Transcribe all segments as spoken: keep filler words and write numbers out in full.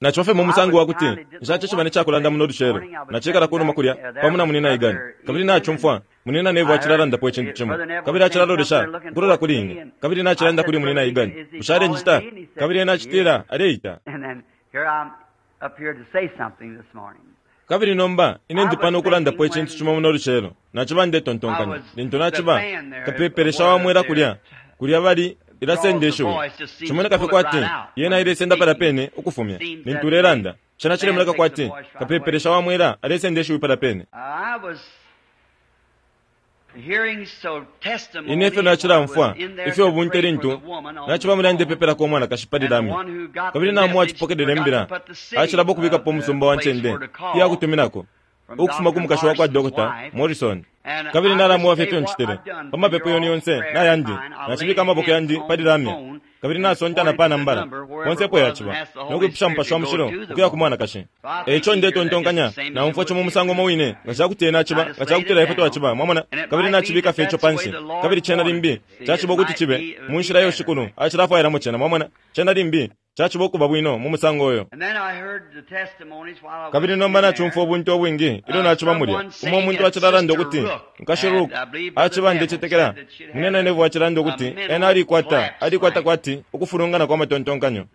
Naciba mu musango wa kuti nshacishiba necakulanda muno lucelo. Nacikala kunuma kulya pamo na munina Egan, kabili nacumfwa munina Neville acilalandapo icintu cimo, kabili acilalolesha ukulola kuli ine, kabili nacilanda kuli munina Egan, bushe alenjita? Kabili ena acitila aleita. Kabili nomba ine ndi pano ukulandapo icintu cimo muno lucelo. Naciba ndetontonkanya lintu naciba kapepelesha wa mwela kulya kulya bali ilasenda ishiwi, cimoneka fye kwati yena ilesenda palya pene ukufumya lintu ulelanda. Cena cilemoneka kwati kapepelesha wa mwela alesenda ishiwi palya pene. Ine ifyo nacilamfwa ifyo ubunte lintu naciba mulya ndepepelako umwanakashi pali lamya, kabili namu acipokelela imbila acilaba ukubikapo umusumba wa ncende iyakutuminako ukufuma ku mukashi wakwa Doctor Morrison. Kabili nalamuwa fye ifyo ncitile pa mapepo yenu yonse nayandi, nacibika amaboko yandi pali lamya, kabili nasonta na panambala konse epo yaciba, nokwipusha Mupashi wa Mushilo ukuya ku mwanakashi. Eico ndetontonkanya naumfwa ico mu musango umo wine, nga cakuti ena aciba, nga cakutila ifwe twaciba, mwamona, kabili nacibika fye ico panshi. Kabili cena limbi caciba ukuti cibe mu nshila iyo Shikulu acilafwailamo cena, mwamona, cena limbi caciba ukuba bwino mu musango uyo. Kabili nomba nacumfwa ubuntu ubwingi ilyo naciba mulya, umo umuntu acilalanda ukuti nkashi Rook aciba ndecetekela munene Neville acilanda ukuti ena alikwata alikwata kwati ukufulungana kwa matontonkanyo.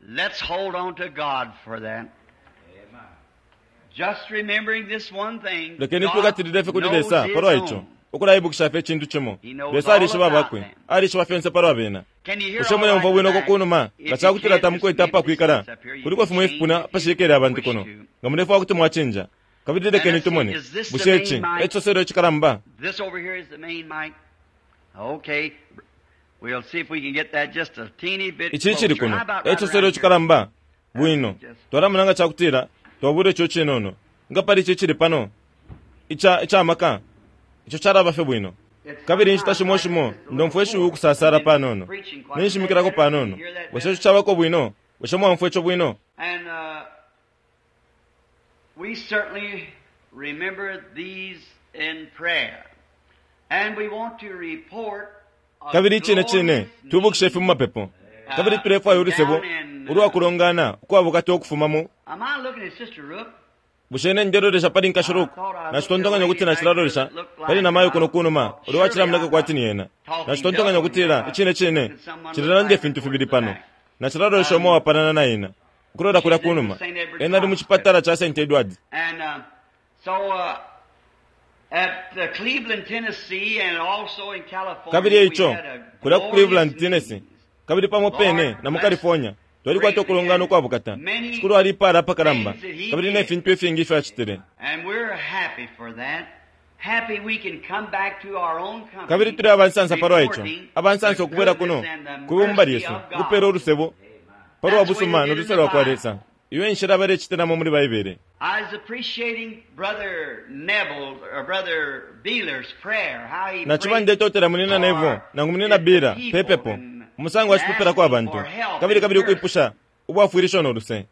Lekeni twikatilile fye kuli Lesa palwa ico, ukulaibukisha fye icintu cimo. Lesa alishiba abakwe, alishiba fyonse palwa bena. Bushe muleumfwa bwino uko kunuma? Nga cakutila tamukwete apakwikala, kuliko fimo ifipuna apashikele abantu kuno, nga mulefwaya kuti mwacinja. Kabili lekeni tumone, bushe ici e cisoselo icikalamba? Ici icili kuno e cisoselo icikalamba? Bwino, twalamona nga cakutila twabula ico cinono. Nga pali ici icili pano ica icamaka, ico calaba fye bwino. Kabili inshita shimo shimo ndomfwa ishiwi ukusasala panono, ninshimikilako panono. Bushe ico cabako bwino? Bushe mwaumfwa ico bwino? Kabili icine cine twibukishe ifi mu mapepo, kabili tulefwaya ulusebo ulwa kulongana ukwabukata ukufuma mu. Bushe ine ndelolesha pali nkashi Rook? Nacitontonkanya ukuti nacilalolesha pali namayo kuno kunuma ulo wacilamoneka kwati ni ena. Nacitontonkanya ukutila icine cine cilalanda ifintu fibili pano. Nacilalolesha umo uwapalana na ena ukulola kulya kunuma. Ena ali mu cipatala ca Saint Edward. Kabili eico kulya ku Cleveland, Tennessee, kabili pamo pene na mu California, twalikwata ukulongana ukwabukata. Shikulu alipaala apakalamba, kabili ne fintu ifingi ifyo acitile. Kabili tuli abansansa palwa ico, abansansa ukubwela kuno ku bumba lyesu, ukupela ulusebo palwa busuma no luse lwa kwa Lesa. Iyo enshila balecitilamo muli Baibele. Naciba ndetotela munina Neville nangu munina Beeler pepepo, umusango acipepelako abantu, kabili kabili ukwipusha ubwafwilisho no luse.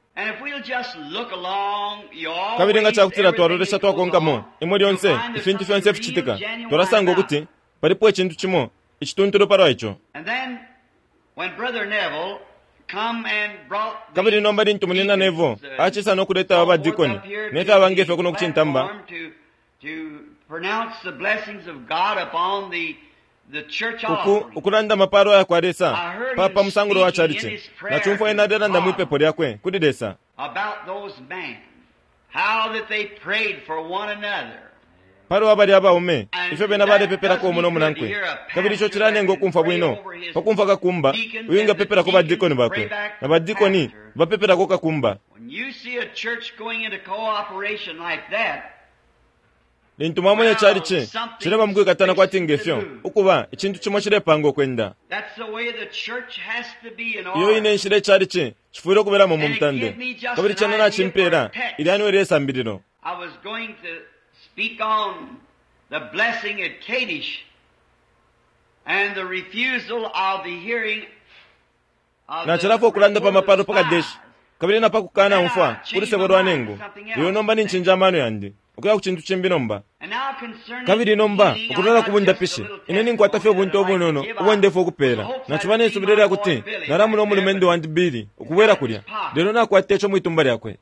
Kabili nga cakutila twalolesha twakonkamo imwe lyonse ifintu fyonse ificitika, twalasanga ukuti palipo icintu cimo icituntulu palwa ico. Kabili nomba lintu munina Neville acisa no kuleta aba badikoni ne fyaba ngefyo kuno kucintamba, uku ukulanda amapalo aya kwa Lesa pa pa musangulo wa chalichi, nacumfwa ena alelanda mwipepo lyakwe kuli Lesa palwa balya abaume, ifyo bena balepepelako umo no munankwe. Kabili ico cilanenga ukumfwa bwino pakumfwa kakumba uyu ngapepelako badikoni bakwe, na badikoni bapepelako kakumba. Lintu mwamona chalichi cileba mukwikatana kwati ngefyo, ukuba icintu cimo cilepanga ukwenda. Iyo ine nshila icalichi cifwile ukubelamo mu mutande. Kabili cena nacimpela ilya niwe lyesambililo. Nacilafwa ukulanda pa mapalo pa Kadeshi, kabili na pa kukana umfwa kulusebo lwa nengu. Lelo nomba nincinja amano yandi Ukuya ku cintu cimbi nomba. Kabili nomba ukulola kubundapishi, ine ninkwata fye ubuntu obunono ubondefu okupela. Naciba nesubilo lya kuti nalamuna umulumendo wandi Billy ukubwela kulya, lelo nakwata ico mwitumba lyakwe.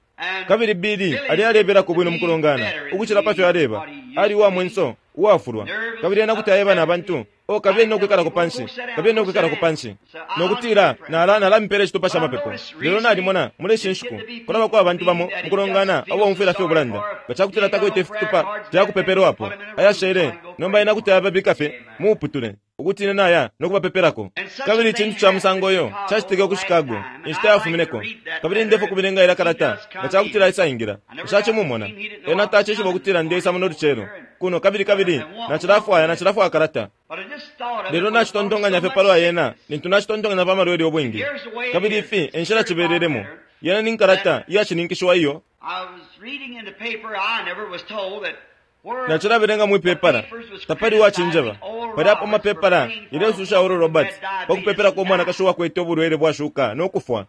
Kabili Billy ali alebelako bwino mukulongana ukucila pafyo aleba. Ali uwa mwenso, uwafulwa, kabili ena kuti aeba na bantu, o kabili nokwikalako panshi, kabili nokwikalako panshi, nokutila nala nalamipela icitupa ca mapepo. Lelo nalimona muli ishi nshiku kulabako abantu bamo mukulongana abomfwila fye ubulanda nga cakutila takwete ifitupa fyakupepelwapo ayashele. Nomba ena kuti ayababika fye muuputule ukuti ine naya nokubapepelako. Kabili icintu ca musango uyo cacitike ku Chicago inshita yafumineko. Kabili ndefo kubilenga ila kalata nga cakutila isaingila. Nshacimumona ena tacishiba ukutila ndeisa muno lucelo kuno, kabili kabili nacilafwaya nacilafwaya kalata. Lelo nacitontonkanya fye palwa yena lintu nacitontonkanya pa malwele obwingi. Kabili ifi enshila cibelelemo yena ni nkalata iyashininkishiwa iyo nacilabelenga mwipepala tapali wacinjeba. Pali apo mapepala ilesusha Oral Roberts pakupepelako umwanakashi uwakwete ubulwele bwashuka nokufwa.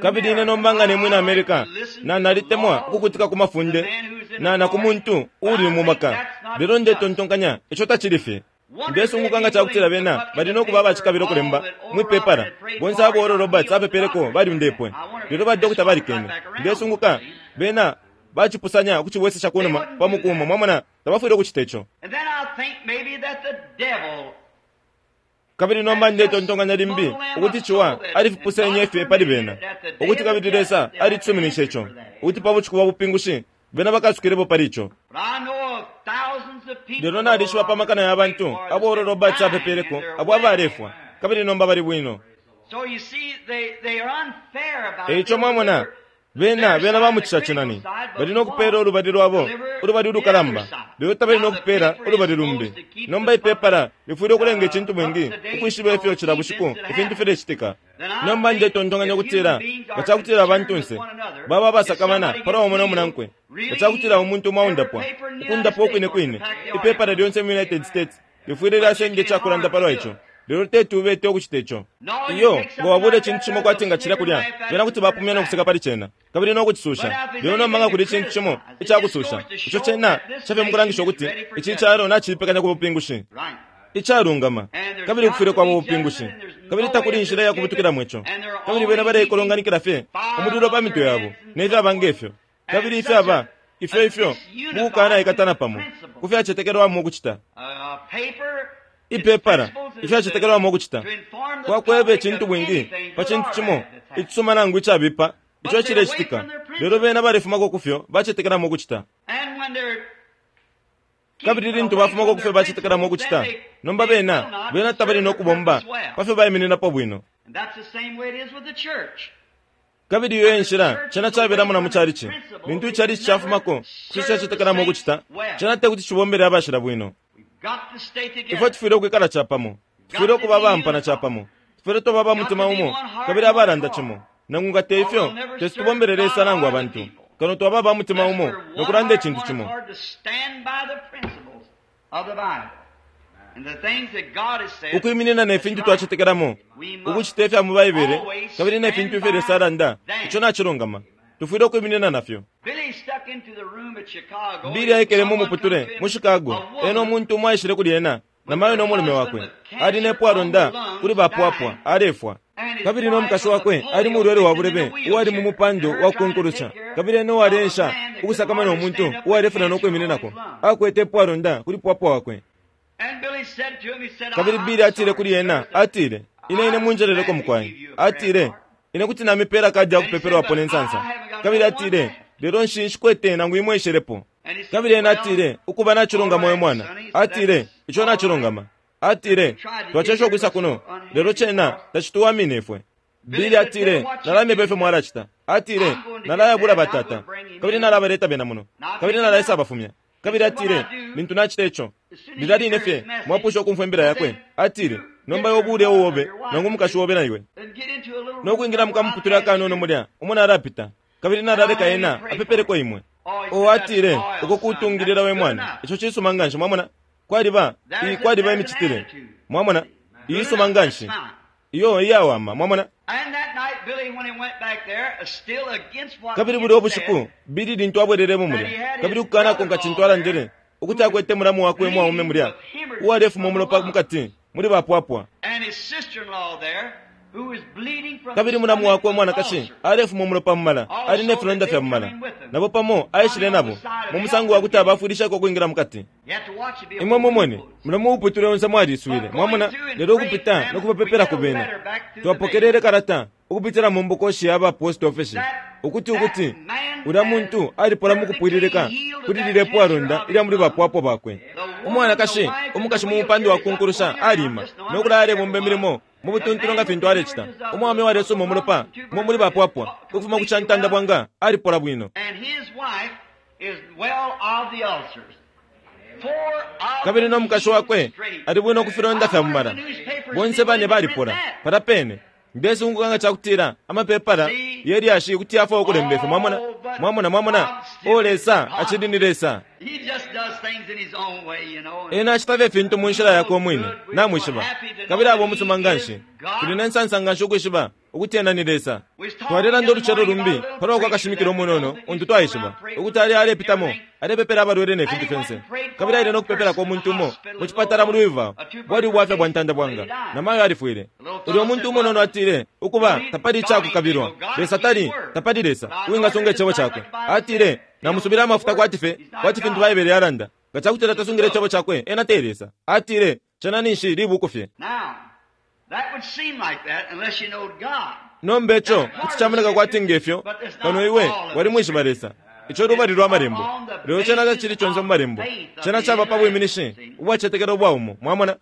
Kabili ine nomba nga nemwina America, na nalitemwa ukukutika ku mafunde na na ku muntu uuli mu maka, lelo ndetontonkanya ico tacili fye. Ndesunguka nga cakutila bena bali nokuba abacikabila ukulemba mwipepala bonse abo Oral Roberts apepeleko baliundepwe, lelo ba dokota balikene. Ndesunguka bena bacipusanya ukucibwesesha kunuma pa mukumo. Mwamona, tabafwile ukucita ico. Kabili nomba ndetontonkanya limbi ukuti ciwa alifipusenye fye pali bena, ukuti kabili Lesa alisuminishe ico, ukuti pa bushiku bwa bupingushi bena bakasukilepo pali ico. Lelo nalishiba pa makana ya bantu abo Oral Roberts apepeleko abo abalefwa, kabili nomba bali bwino. Eico mwamona, bena bena bamucisha cinani bali nokupela ulubali lwabo ulubali ulukalamba, lelo tabali nokupela ulubali lumbi. Nomba ipepala lifwile ukulenga icintu bwingi ukwishiba ifyo cila bushiku ifintu filecitika. Nomba ndetontonkanya ukutila nga cakutila abantunse baba abasakamana palwa umo nomunankwe, nga cakutila umuntu umo aundapwa ukundapwa ukwine kwine, ipepala lyonse mu United States lifwile lyasenda icakulanda palwa ico. Lelo teti ubete ukucita ico. Iyo nga wabula icintu cimo kwati nga cilya kulya, bena kuti bapumya nokuseka pali cena kabili nokucisusha. Lelo nomba nga kuli icintu cimo icakususha, ico cena cafye mukulangisha ukuti ici calo nacipekanya ku bupingushi icalungama, kabili kufwile kwaba ubupingushi, kabili takuli inshila yakubutukilamo ico. Kabili bena baleikolonganikila fye umulilo pa mitwe yabo nefyaba ngefyo, kabili ifyaba ifyo ifyo mukukanaikatana pamo kufyacetekelwamo ukucita. Ipepala ifyacetekelwamo ukucita kwakweba icintu bwingi pa cintu cimo icisuma nangu icabipa ico cilecitika, lelo bena balefumako kufyo bacetekelamo ukucita. Kabili lintu bafumako kufyo bacetekelamo ukucita, nomba bena bena tabali nokubomba pafyo baimininapo bwino. Kabili iyo enshila cena cabelamo na mu calici. Lintu icalici cafumako kufyo cacetekelamo ukucita, cena tekuti cibombele abashila bwino. Ifwe tufwile ukwikala capamo, tufwile ukuba abampana capamo, tufwile twaba abamutima umo kabili abalanda cimo. Nangu nga te ifyo tesi tubombele Lesa nangu abantu, kano twaba abamutima umo nokulanda icintu cimo. Ukwiminina ne fintu twacetekelamo, ukucita ifya mu Baibele kabili ne fintu ifyo Lesa alanda, ico nacilungama. Tufwile ukwiminina nafyo. Billy aikele mu muputule mu Chicago, ena umuntu umo aishile kuli ena namayo nomulume wakwe ali nepwalonda kuli bapwapwa alefwa. Kabili nomukashi wakwe ali mulwele wa bulebe uwali mu mupando wa kunkulusha, kabili ena uwaleensha ukusakamana umuntu uwalefuna nokwimininako akwete epwalonda kuli pwapwa wakwe. Kabili Billy atile kuli ena, atile, ine ine munjeleleko mukwai. Atile, ine kuti namipela kadi yakupepelwapo nensansa. Kabili atile, lelo nshi nshikwete nangu imwe ishelepo. Kabili ena atile, ukuba nacilungama we mwana. Atile, ico nacilungama. Atile, twacesha ukwisa kuno, lelo cena tacituwamine ifwe. Billy atile, nalamyeba ifyo mwalacita. Atile, nalayabula batata, kabili nalabaleta bena muno, kabili nalaisa abafumya. Kabili atile, lintu nacita ico, lilya line fye mwapusha ukumfwa imbila yakwe. Atile, nomba iwe ubule uwobe nangu umukashi wobe na iwe nokwingila mukamuputule akanono mulya umo nalapita, kabili nalaleka ena apepeleko imwe. O atile, uko kutungilila we mwana, ico cisuma nganshi. Mwamona, kwaliba kwaliba imicitile, mwamona, iisuma nganshi iyo iyawama. Mwamona, Kabili bulya ubushiku Billy lintu abwelelemo mulya, kabili ukukanakonka cintu alandile, ukuti akwete mulamu wakwe umwaume mulya uwalefuma umulopa mukati muli bapwapwa. Kabili mulamu wakwe umwanakashi alefuma umulopa mumala, ali ne filonda fya mumala, nabo pamo aishile nabo mu musango wakuti abafwilishako ukwingila mukati. Imwe mumone mulamu uputule onse mwaliswile, mwamona. Lelo ukupita nokubapepelako bena, twapokelele kalata ukupitila mu mbokoshi ya ba post office ukuti ukuti ulya muntu alipola mukupwililika kuli lile pwalonda ilya muli bapwapwa bakwe. Umwanakashi umukashi mu mupando wa kunkulusha alima nokulaya alebomba imilimo mu butuntulu nga fintu alecita. Umwaume walesuma umulopa mu muli bapwapwa ukufuma ku cantanda bwanga alipola bwino. Kabili no mukashi wakwe ali bwino ku filonda fya mumala. Bonse bane balipola palya pene. Ndesunguka nga cakutila amapepala yelyashi kuti yafwa ukulemba ifyo. Mwamona, mwamona, mwamona. O Lesa acili ni Lesa. Ena acita fye fintu mu nshila yakwe umwine, namwishiba. Kabili aba umusuma nganshi. Tuli ne nsansa nganshi ukwishiba ukuti ena ni Lesa. Twalelanda ulucelo lumbi palwa kwa kashimikila umunono untu twaishiba ukuti ali alepitamo alepepela abalwele ne fintu fyonse. Kabili aile no kupepelako umuntu umo mu cipatala mu Louisville, bwali ubwafya bwa ntanda bwanga, na mayo alifwile. Ulyo muntu umunono atile, ukuba tapali icakukabilwa, Lesa tali, tapali Lesa uwingasunga icebo cakwe. Atile, namusubila amafuta kwati fye, kwati fintu Baibele yalanda. Nga cakutila tasungile icebo cakwe, ena te Lesa. Atile, cena ninshi libuku fye. Nomba ico kuti camoneka kwati ngefyo, kano iwe walimwishiba Lesa. Ico lubali lwa malembo, lelo cena tacili conse mu malembo. Cena caba pa bwiminishi ubwacetekela ubwaumo, mwamona.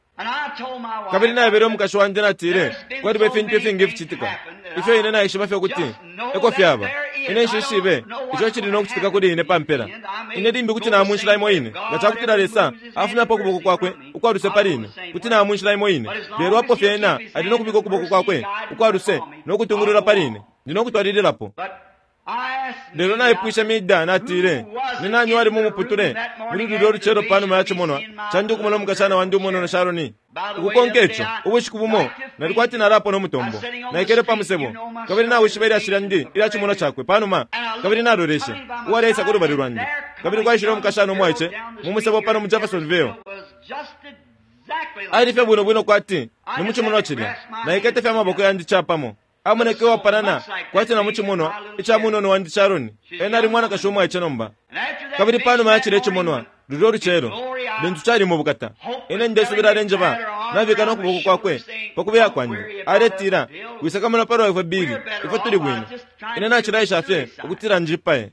Kabili naebele umukashi wandi natile, kwaliba ifintu ifingi ificitika ifyo ine naishiba fye ukuti eko fyaba. Ine nshishibe ico cili no kucitika kuli ine pa mpela. Ine limbi kuti namunshila imo ine, nga cakutila Lesa afumyapo ukuboko kwakwe ukwaluse pali ine, kuti namunshila imo ine. Lelo apo fye ena ali no kubika ukuboko kwakwe ukwaluse no kutungulula pali ine, ndi no kutwalililapo. Lelo naipwishe Mida natile, ni nani wali mu muputule muli lulyo lucelo panuma ya cimonwa candi ukumona umukashana wandi umunono Sharoni? Ukukonka ico ubushiku bumo nali kwati nalapo no mutombo, naikele pa musebo, kabili nawishiba ilyashi lyandi ilya cimonwa cakwe panuma, kabili naloleshe uwaleisa ku lubali lwandi, kabili kwaishile umukashana umwaice mu musebo pano mu Jeffersonville. Ali fye bwino bwino kwati ni mu cimonwa cilya, naikete fye amaboko yandi capamo. Amoneke uwapanana kwati na mu cimonwa ica munono wandi Sharoni. Ena ali mwanakashi umwaice nomba. Kabili panuma ya cilya cimonwa lulyo lucelo lintu cali mu bukata, ine ndesubila alenjeba nabika no kuboko kwakwe pa kubeya kwandi, aletila, wisakamana palwa ifwe Billy, ifwe tuli bwino. Ine nacilaisha fye ukutila njipaye.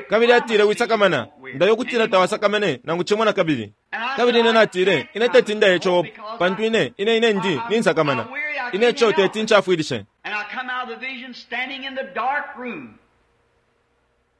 Kabili atile, wisakamana, ndayo ukutila tawasakamene nangu cimo na kabili. Kabili ine natile, ine teti ndaye ico pantu ine ine ine ndi ninsakamana. Ine ico teti ncafwilishe.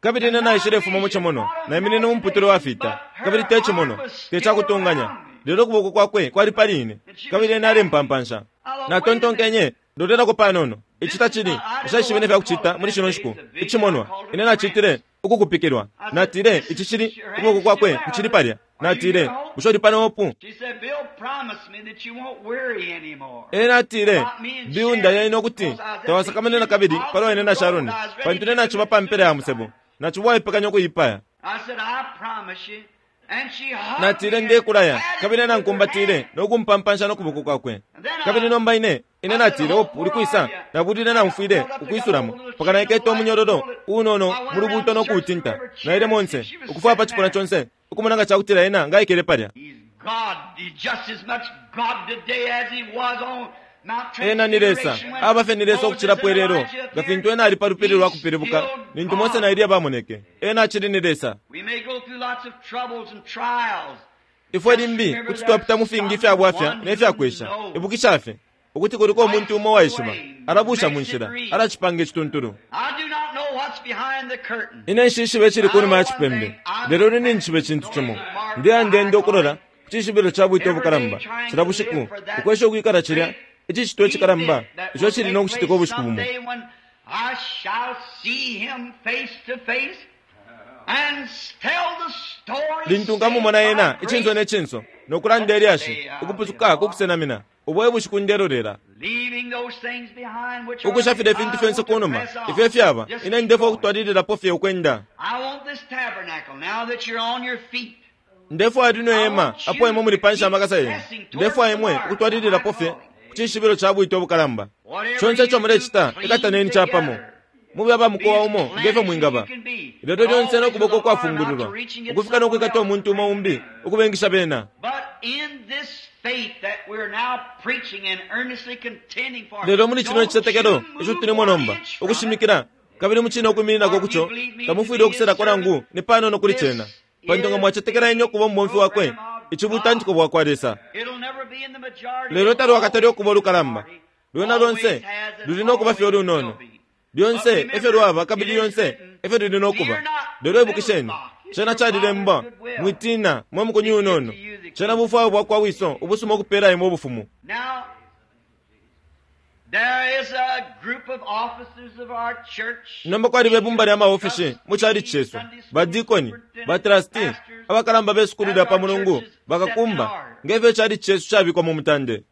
Kabili ine naishilefuma mu cimonwa, naiminine mu muputule wafita, kabili te cimonwa, te cakutunganya, lelo ukuboko kwakwe kwali pali ine, kabili ena alempampansha. Natontonkenye, lolelako panono, ici tacili, nshaishibe ne fyakucita muli shino nshiku. Icimonwa, ine nacitile ukukupikilwa. Natile, ici cili, ukuboko kwakwe kucili palya. Natile, bushe uli pano opu? Ena atile, Bill ndaya ukuti tawasakamane na kabili palwa ine na Sharoni, pantu ine naciba pa mpela ya musebo, naciba waipekanya ukuipaya. Natile, ndekulaya, kabili ena nkumbatile no kumpampansha no kuboko kwakwe. Kabili nomba ine ine natile, opu uli kwisa? Nabulile namfwile ukwisulamo paka naikete umunyololo unono mu lubuuto no kuutinta. Naile monse ukufwaya pa cipuna conse ukumona nga cakutila ena ngaikele palya. Ena ni Lesa, aba fye ni Lesa ukucilapo ilelo nga fintu ena ali pa lupili lwa kupilibuka lintu Mose na Eliya bamoneke. Ena acili ni Lesa. Ifwe limbi kuti twapita mu fingi ifya bwafya ne fya kwesha. Ibukisha fye ukuti kuliko umuntu umo waishiba, alabusha mu nshila, alacipanga icituntulu. Ine nshishibe icili kunuma ya cipembe, lelo ine ninjishiba icintu cimo. Ndeya ndenda ukulola ku cishibilo ca bwite ubukalamba cila bushiku, ukwesha ukwikala cilya icicitwa icikalamba ico cili no kucitika ubushiku bumo. Lintu nkamumona ena icinso ne cinso no kulanda ilyashi, ukupusuka ku kusenamina, ubo e bushiku ndelolela. Ukusha filya ifintu fyonse kunuma ifyo ifyaba, ine ndefwaya ukutwalililapo fye ukwenda. Ndefwaya lino ihema apo imwe muli panshi amakasa yenu. Ndefwaya imwe ukutwalililapo fye ku cishibilo ca bwite ubukalamba. Conse ico mulecita, ikataneni capamo, mube aba mukowa umo ngefyo mwingaba, lelo lyonse no kuboko ukwafungululwa ukufika no kwikata umuntu umo umbi ukubengisha bena. Lelo muli cino icitetekelo ico tulimo nomba ukushimikila kabili mucine ukwimininako kuco, tamufwile ukuselako nangu ni panono kuli cena, pantu nga mwacetekela ine ukuba umubomfi wakwe, ici butantiko bwakwa Lesa. Lelo talwakatali ukuba ulukalamba, lwena lonse luli no kuba fye ulunono. Lyonse efyo lwaba kabili lyonse efyo luli no kuba. Lelo ibukisheni, cena calilembwa, mwitina mwe mukunyu unono, cena bufwayo bwakwa Wiso ubusuma ukupela imwe ubufumu. Nomba kwaliba ibumba lya maofisi mu chalichi cesu, badikoni, batrasti, abakalamba be sukulu lya pa mulungu, bakakumba, ngefyo ichalichi cesu cabikwa mu mutande.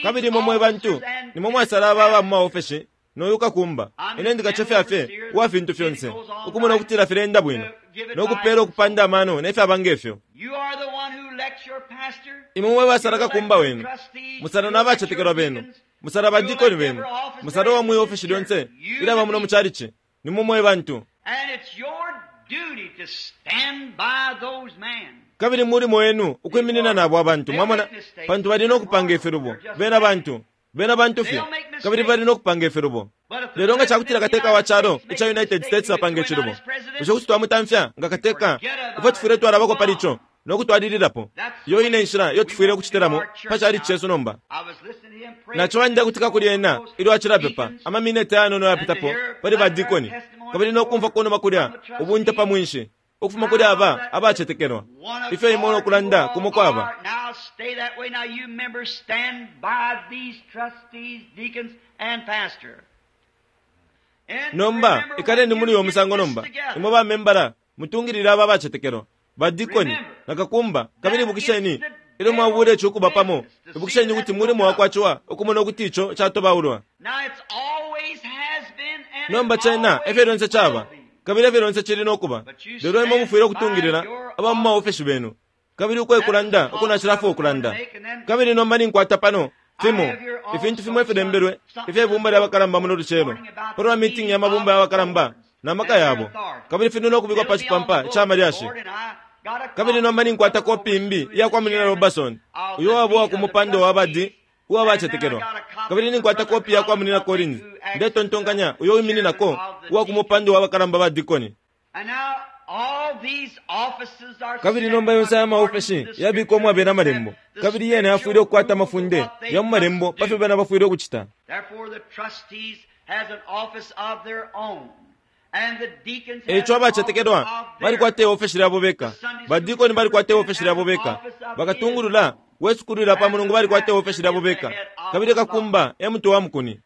Kabili imwe mwe bantu nimwe mwasala aba aba mu maofesi noyu kakumba. Ine ndikacefya fye uwa fintu fyonse, ukumona ukutila filenda bwino no kupela ukupanda amano ne fyaba ngefyo. Imwe mwe basala kakumba wenu, musala n'abacetekelwa benu, musala badikoni benu, musala uwa mwi ofesi lyonse ilaba muno mu chalichi. Nimwe mwe bantu. Kabili mulimo wenu ukwiminina nabo abantu, mwamona, pantu bali no kupanga ifilubo. Bena bantu, bena bantu fye, kabili bali no kupanga ifilubo. Lelo nga cakutila kateka wa calo ica United States apanga icilubo, bushe kuti twamutamfya nga kateka? Ifwe tufwile twalabako pali ico no kutwalililapo. Iyo ine nshila iyo tufwile ukucitilamo pa chalichi cesu nomba. Naco ndekutika kuli ena ilyo acilapepa amamineti ayanono yapitapo pali badikoni, kabili no kumfwa kunuma kulya ubunte pa mwinshi ukufuma kuli aba abacetekelwa, ifyo imwe no kulanda kumo kwaba. Nomba ikaleni muli uyo musango nomba, imwe bamembala mutungilile aba abacetekelwa, badikoni na kakumba. Kabili ibukisheni ilyo mwabula ico ukuba pamo, ibukisheni ukuti mulimo wakwaciwa ukumona ukuti ico catobaulwa. Nomba cena efyo lyonse caba, kabili efyo lyonse cili no kuba. Lelo imwe mufwile ukutungilila aba mu maofesi benu, kabili ukwekulanda uko nacilafwa ukulanda. Kabili nomba ninkwata pano fimo ifintu fimo ifilembelwe ifye bumba lya bakalamba muno lucelo palwa meeting ya mabumba ya bakalamba na maka yabo, kabili fili no kubikwa pa cipampa ca malyashi. Kabili nomba ninkwata kopi imbi iya kwa Munina Robertson, uyo wabo wa kumupando wa badi uwa bacetekelwa. Kabili ninkwata kopi ya kwa Munina Collins, ndetontonkanya uyo wimininako uwa kumupando wa bakalamba ba dikoni. Kabili nomba yonse aya maofesi yabikwa umwabela amalembo, kabili yena yafwile ukukwata amafunde ya mu malembo pa fyo bena bafwile ukucita. Eico abacetekelwa balikwata iofesi lyabo beka, badikoni balikwata iofesi lyabo beka, bakatungulula we sukulu lya pa mulungu balikwata iofesi lyabo beka, kabili kakumba e mutwe wa mukuni.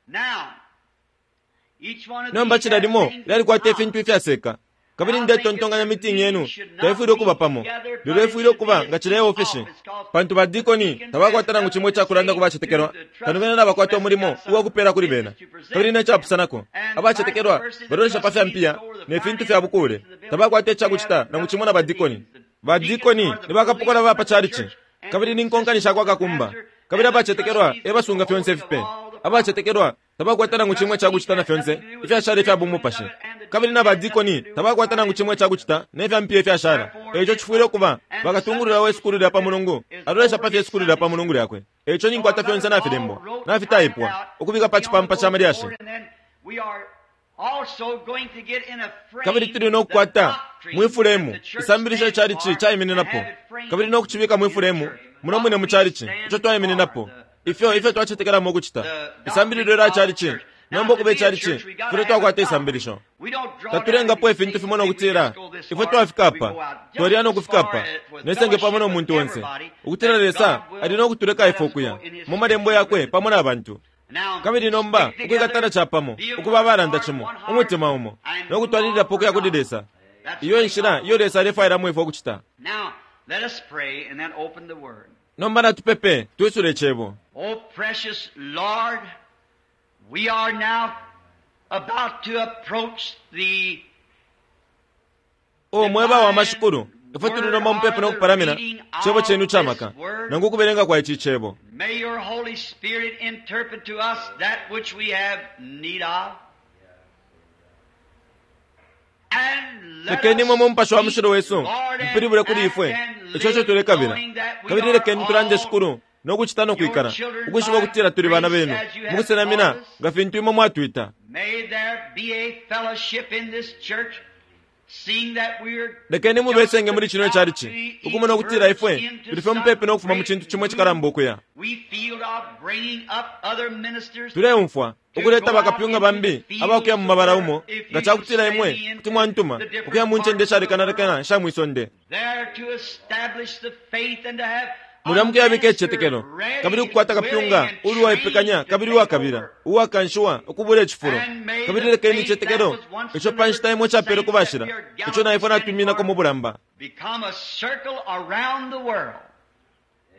Nomba cila limo lyalikwata ifintu ifyaseka, kabili ndetontonkanya meeting yenu taifwile ukuba pamo, lelo ifwile ukuba nga cila iofesi, pantu badikoni tabakwata nangu cimo icakulanda ku bacetekelwa, kano bena nabakwata umulimo uwakupela kuli bena. Kabili necapusanako, abacetekelwa balolesha pa fya mpiya ne fintu fya bukule, tabakwata icakucita nangu cimo na badikoni. Badikoni ni bakapokola ba pa chalichi, kabili ni nkonkani shakwa kakumba, kabili abacetekelwa e basunga fyonse ifipe. Abacetekelwa tabakwata nangu cimwe cakucita na fyonse ifyashala ifya bumupashi, kabili na badikoni tabakwata nangu cimwe cakucita ne fya mpiya ifyashala. Eico cifwile ukuba bakatungulula we sukulu lya pa mulungu alolesha pa fye sukulu lya pa mulungu lyakwe. Eico ninkwata fyonse nafilembwa nafitaipwa ukubika pa cipampa ca malyashi. Kabili tuli no kukwata mwifulemu isambilisho ichalichi caimininapo, kabili no kucibika mwifulemu muno mwine mu chalichi ico twaimininapo, ifyo ifyo twacetekelamo ukucita isambililo lya chalichi. Nomba ukuba ichalichi fwile twakwata isambilisho. Tatulengapo ifintu fimo nokutila ifwe twafika apa, twaliya nokufika apa nesenge pamo no muntu onse, ukutila Lesa ali nokutuleka ifwe ukuya mu malembo yakwe pamo na bantu. Kabili nomba ukwikatana capamo, ukuba abalanda cimo, umutima umo, nokutwalililapo ukuya kuli Lesa. Iyo inshila iyo Lesa alefwailamo ifwe ukucita. Nomba natupepe twisule Cebo. Oh, precious Lord, we are now about to approach the O mweba wa mashikulu, ifwe tuli nomba mupepo nokupalamina Cebo chenu chamaka, nangu kubelenga kwa ichi Cebo. May your Holy Spirit interpret to us that which we have need of. And let Lekeni us mwe Mupashi wa speak, mushilo wesu Lord, and mpilibule kuli act ifwe and icho icho live, tulekabila. knowing that we Kabili are lekeni tulande all shikulu nokuchita nokwikala, your children ukwishiba by ukutila tuli bana grace benu as you have mukusenamina called us. nga fintu imwe mwatwita. May there be a fellowship in this church, seeing that we're Lekeni mubesenge muli chino just chalichi about to ukumona ukutila ifwe emerge into tuli fye mupepe nokufuma mu some chintu chimwe great chikalamba ukuya. We feel of bringing up other ministers Tuleumfwa ukuleta bakapyunga bambi abakuya mu mabala umo nga chakutila imwe kuti mwantuma ukuya mu ncende ishalekanalekana isha mwisonde. there to establish the faith and to have a Mulya mukuyabika minister icicetekelo ready, kabili ukukwata kapyunga willing, and uli uwaipekanya trained to kabili take uwakabila over. uwakanshiwa ukubula icifulo. And may Kabili the lekeni faith icicetekelo that was once ico pa nshita imwe delivered chapele to ku bashila the saints that we are ico na ifwe gallantly natwiminako standing mu bulamba become a circle around the world.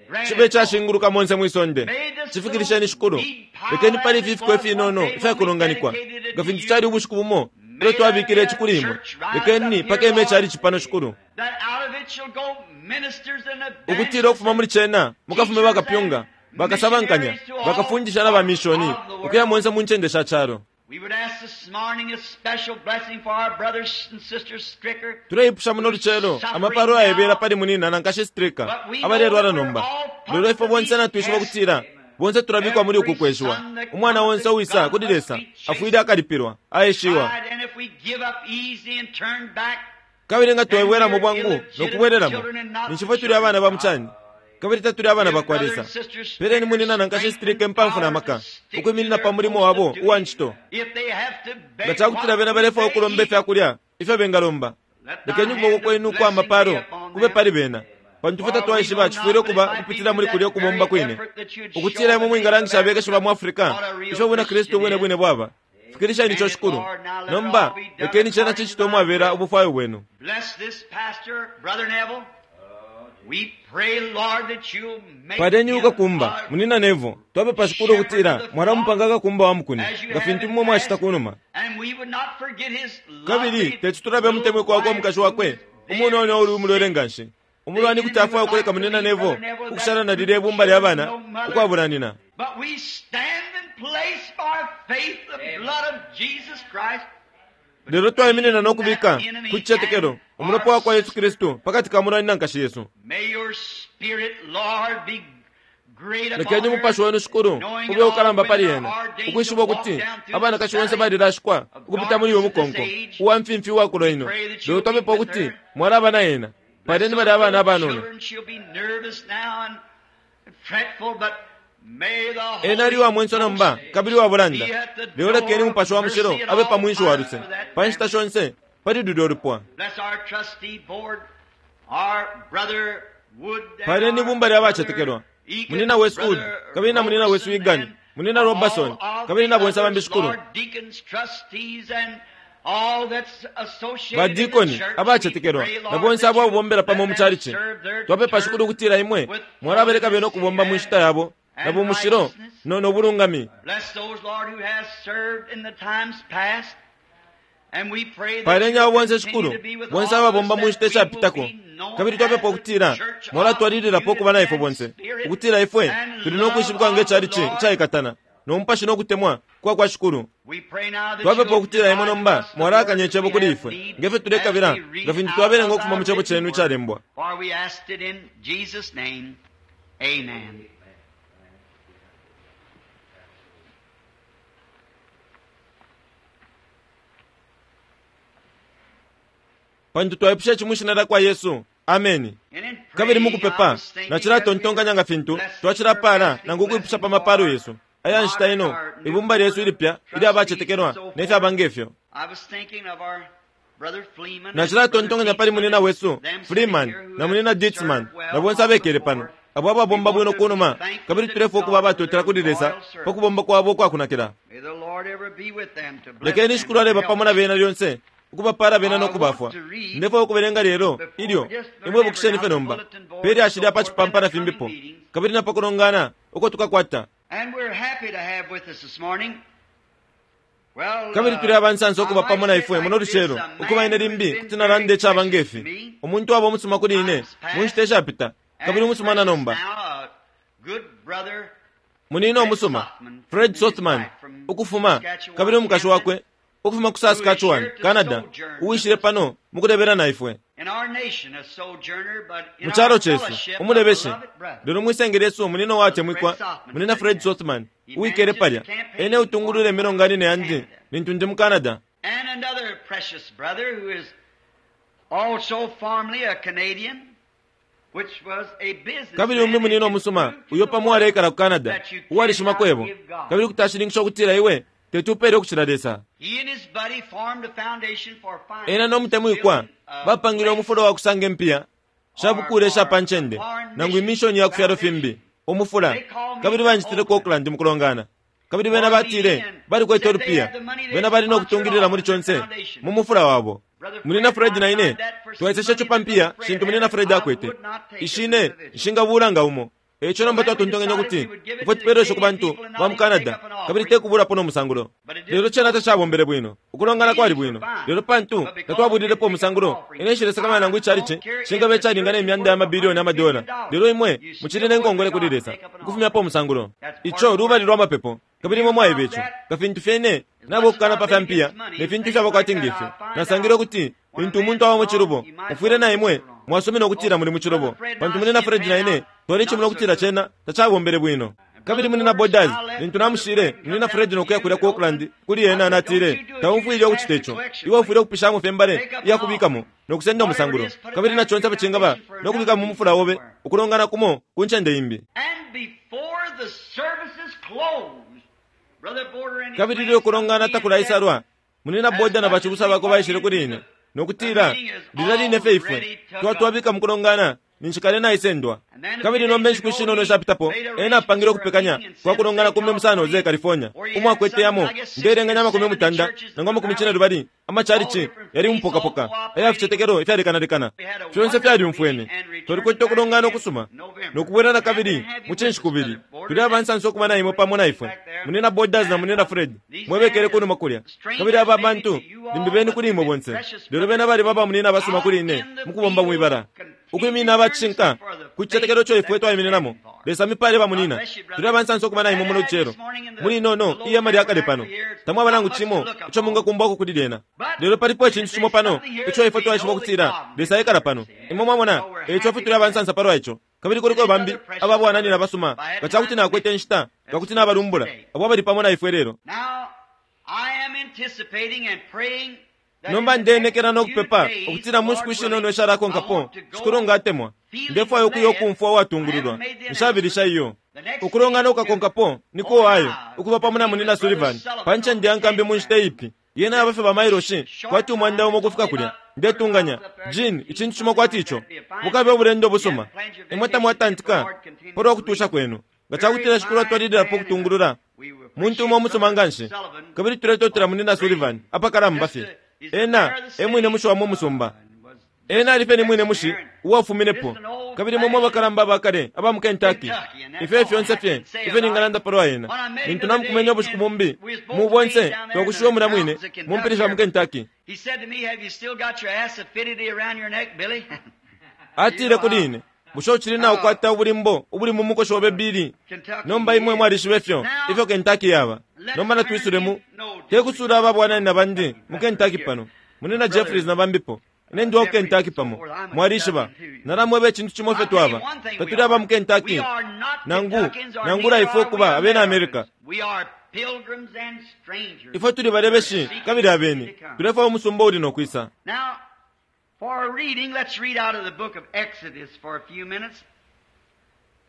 Grant chibe it, Lord. chashinguluka monse mwisonde. May this Chifikilisheni little shikulu. deep pile Lekeni pali as it ififiko was ifinono one day when we ifyakulonganikwa dedicated it nga to fintu you. chali ubushiku bumo May ilyo twabikile there be a ici kuli imwe. church rise Lekeni up here, pakeme Lord, chali cipano shikulu that out of it shall go ministers and ukutila ukufuma evangelists muli chena mukafume teachers bakapyunga and bakasabankanya missionaries to all bakafundisha na bamishoni parts of the world. ukuya monse mu ncende sha chalo. We would ask this morning a special blessing for our brothers and sisters Stricker. Tuleipusha muno lucelo amapalo ayebela pali munina na nkashi Stricker But we know abalelwala that we're nomba. all Lelo part ifwe of bonse these natwishiba tests. ukutila bonse tulabikwa muli uku Every kweshiwa. son that Umwana comes onse to uwisa God kuli must Lesa be afwile chastened, akalipilwa aeshiwa. tried, and if we give up easy and turn back, Kabili nga then twebwelamo we're bwangu illegitimate nokubwelelamo children and not ninshi the ifwe tuli children abana of ba God. muchani kabili tatuli abana Give bakwa brother Lesa. and sister Peleni Stricker munina na nkashi strength Stricker and impamvu na power to maka stick to ukwiminina their pa mulimo post of wabo uwa duty. ncito. If they have to Nga beg chakutila what bena food balefwaya they ukulomba eat, ifyakulya ifyo bengalomba. let thy Lekeni hand ukuboko of kwenu ukwa blessing be mapalo upon kube them. pali bena pantu ifwe For we tatwaishiba know chifwile not, but it ukuba might be ukupitila through muli kulya that ukubomba very kwine effort that you'd show ukutila the imwe people of mwingalangisha abekeshi ba Africa mu Afrika what a real ifyo bwina Kristu Christian bwine is. bwine bwaba. Fikilisheni ico Grant it, shikulu. Lord, now let it Nomba all be done lekeni chena according to chichite thy umwabela will. ubufwayo bwenu. Bless this pastor, Brother Neville. We pray, Lord, that you'll make Paleni him ukakumba a munina Nevo twapepa shikulu shepherd of ukutila the flock mwalamupanga kakumba wa mukuni as you nga have fintu in imwe mwachita past, kunuma. and we would not forget his Kabili lovely tetutulabe little mutemwiko wakwe wife omukashi who wakwe is umunono very uli umulwele sick. nganshi. The Umulwani kuti enemy afwaya would ukuleka like to munina leave Nevo Brother Neville ukushala that na two lilya ibumba lya children, bana no mother. ukwabulanina. But we stand and place by faith the blood of Jesus Christ Lelo twaiminina between that nokubika enemy ku chicetekelo and umulopa our wakwa Yesu sister. Kristu pakati ka mulwani na nkashi yesu. May your spirit, Lord, be great upon Lekeni her, umupashi wenu shikulu knowing ube that all ukalamba pali women ena are ordained to ukwishiba walk ukuti down through this abanakashi bonse valley balilashikwa of ukupita muli uyu darkness of this mukonko age. uwa mfimfi uwakulo We ino. pray that Lelo you'll be twapepa with ukuti her. mwalaba na ena. Bless Paleni those bali abana little abanono. children. She'll be nervous now and fretful, but may the Ena ali Holy wa mwenso nomba Ghost kabili wa bulanda. be at the Lelo lekeni door of umupashi wa mushilo mercy at abe pa all mwinshi wa times luse for that pa nshita family. shonse pali lulyo lupwa. Bless our trustee board, our brother Wood and Paleni our ibumba lya brother bacetekelwa Egan, munina Westwood brother kabili na munina Robertson, West Egan and munina Robertson all of kabili the na bonse others, bambi shikulu. Lord, deacons, trustees, and all that's associated in the Badikoni church. We abacetekelwa pray, na Lord, bonse that abo you abobombela let pamo mu them chalichi. serve their Twapepa shikulu turn ukutila imwe with mwalabaleka bena holiness ukubomba mu and, nshita yabo na and bumushilo righteousness. no nobulungami. Bless those, Lord, who has served in the times past. And we pray that Paleni you'll abo bonse continue shikulu to be with bonse all of us, ababomba mu that nshita we will ishapitako be known kabili as twapepa the ukutila church of mwalatwalililapo ukuba na unity ifwe and bonse spirit ukutila ifwe and tuli love nokwishibikwa of nge the chalichi Lord. icaikatana no mupashi nokutemwa kwa kwa shikulu. We pray now that Twapepa you'll ukutila imwe divide to nomba us the mwalakanya word that icebo we kuli have ifwe need ngefyo as tulekabila we nga read fintu out twabelenga of ukufuma thy mu cebo written chenu word. icalembwa. For we asked it in Jesus' name. Amen. Pantu twaipusha ici mwi shina lya kwa Yesu. Ameni. And in Kabili praying, I mukupepa was thinking as we nacilatontonkanya were nga fintu blessing her twacilapala asking nangu ukwipusha blessing pa mapalo for yesu aya nshita modern ino or new ibumba lyesu board of ilipya ilya trustees and bacetekelwa so nefyaba forth. ngefyo. I was thinking of our brother Fleeman and brother Nacilatontonkanya pali Dietzman munina and wesu them sitting Freeman here who na have munina Dietzman served na well bonse on the abekele pano board. abo We ababomba want bwino to be kunuma thankful kabili to tulefwaya ukuba God for abatotela their kuli Lesa loyal pa service. kubomba kwabo ukwakunakila. May the Lord ever be with them to bless Lekeni them shikulu and aleba help pamo na them. bena lyonse Ukubapala bena no kubafwa. Ndefwaya ukubelenga lelo ilyo imwe bukisheni fye nomba pe lyashi lya pa chipampa na fimbipo kabili na pakulongana uko tukakwata. Kabili tuli abansansa ukuba pamo na ifwe muno lucelo ukuba ine limbi kuti nalanda icaba ngefi. Umuntu waba umusuma kuli ine mu nshita ishapita kabili umusuma na nomba. Munina umusuma Fred Sothman ukufuma kabili umukashi wakwe ukufuma ku Saskatchewan, Canada, uwishile pano mukulebela na ifwe. Mu chalo chesu umulebeshe lelo mwisenge lyesu munina watemwikwa munina Fred Sothman uwikele palya ene utungulule milonganine yandi lintu ndi mu Canada. And another precious brother who is also formerly a Canadian, which was a businessman. Kabili umbi munina umusuma uyo pamo aleikala ku Canada uwalishima kwebo kabili kutashininkisha ukutila iwe tetupele ukucila Lesa. He and his buddy formed a foundation for finance. Ena nomutemwikwa bapangile umufulo wa kusanga impiya shabukule sha panchende nangu imishoni ya kufyalo fimbi umufula kabili banjitile ku Auckland mukulongana kabili bena batile balikwete olupiya bena bali nokutungilila muli chonse mu mufula wabo. Munina Fred na ine twaiseshe ico pampiya shintu munina Fred akwete ishine nshingabula nga umo. Eco nomba twatontonkanya ukuti ifwe tupeleshe ku bantu ba mu Canada kabili tekubulapo nomusangulo. Lelo cena tacabombele bwino ukulongana kwali bwino lelo pantu tatwabulilepo umusangulo ine nshilesakamana nangu icalici shingaba icalingana imyanda ya mabilioni amadola lelo imwe mucili nenkongole kuli Lesa ukufumyapo umusangulo. Ico lubali lwa mapepo kabili imwe mwaiba ico nga fintu fyene nabo okukana pa fya mpiya ne fintu ifyabakwati ngefyo. Nasangile ukuti lintu umuntu aba mu cilubo mufwile na imwe mwasumina ukutila muli mu cilubo pantu munina Fred na ine twalicimuna ukutila cena tacabombele bwino. Kabili munina Borders lintu namushile munina Fred nokuya kulya ku Auckland kuli ena natile taumfwile ukucita ico iwe ufwile ukupishamo fye mbale iyakubikamo nokusenda umusangulo kabili na chonse pacingaba nokubika mu mufula obe ukulongana kumo ku ncende imbi. And before the services closed, Brother Border and his Kabili ilyo kulongana friends takulaisalwa munina Border na bachibusa bako baishile kuli ine nokutila lila line fye ifwe twatwabika mukulongana ninshikale naisendwa. Kabili nomba enshiku shinono ishapitapo ena apangile okupekanya kwa kulongana kumbi mu San Jose, California umwakwete yamo ndelenganya amakumi mutanda nangu amakumi cine lubali amachalichi yali mupokapoka aya ficetekelo ifyalekanalekana fyonse fyalyumfwene. Twalikwete okulongana okusuma nokubwela na kabili mu cinshi kubili. Tuli abansansa okuba na imwe pamo na ifwe munina Borders na munina Fred mwebekele kunuma kulya kabili aba bantu limbi beni kuli imwe bonse lelo bena bali baba munina abasuma kuli ine mukubomba mwibala ukwimina abacishinka ku cicetekelo ico ifwe twaimininamo. Lesa mipale bamunina tuli abansansa okuba na imwe muno lucelo muli inono iyema lyakale pano tamwaba nangu cimo ico mungakumbwako kuli lyena lelo palipo icintu cimo pano ico ifwe twaishiba ukutila Lesa ekala pano. Imwe mwamona eco fwe tuli abansansa palwa ico kabili kuliko bambi ababwananina basuma nga cakuti nakwete inshita nga kuti nabalumbula abo abali pamo na ifwe lelo. Now, I am anticipating and praying that Nomba in the next ndenekela few nokupepa days, ukutila mu nshiku Lord shinono willing, ishalakonkapo I want to go Shikulu ngatemwa ndefwaya ukuya ukumfwa uwatungululwa nshabilisha iyo. Ukulongana ukakonkapo niko wayo ukuba pamo na munina Sullivan pa ncende ya nkambi mu nshita ipi yena abafe ba mailoshi kwati umwanda umo ukufika kulya ndetunganya Jean icintu cimo kwati ico bukabe obulendo busuma imwe tamwatantika palwa kutusha kwenu nga cakutila Shikulu atwalililapo okutungulula muntu umo umusuma nganshi kabili tuletotela munina Sullivan apakalamba fye ena emwine mushi wa mu musumba ena ali fye ni mwine mushi uwafuminepo kabili momwe abakalamba abakale aba mu Kentucky ifyo fyonse fye ifyo ningalanda palwa ena lintu namukumenya ubushiku bumbi mu bonse twakushiwa muna mwine mu mpili sha mu Kentucky. He said to me, "Have you still got your acidity around your neck, Billy?" Atile kuli ine bushe uchili naukwata ubulimbo ubuli mu mukoshi obe Billy? Nomba imwe mwalishiba ifyo ifyo Kentucky yaba. Nomba natwisulemu tekusula ababwanani na bandi mu Kentucky pano munina Jeffries na bambipo ine ndi wa ku Kentucky pamo mwalishiba nalamweba icintu cimo fye twaba tatuli aba mu Kentucky nangu nangula ifwe okuba abena America. We are pilgrims and strangers. Ifwe tuli balebeshi kabili abeni tulefwaya umusumba uli nokwisa. Now, for our reading, let's read out of the book of Exodus for a few minutes.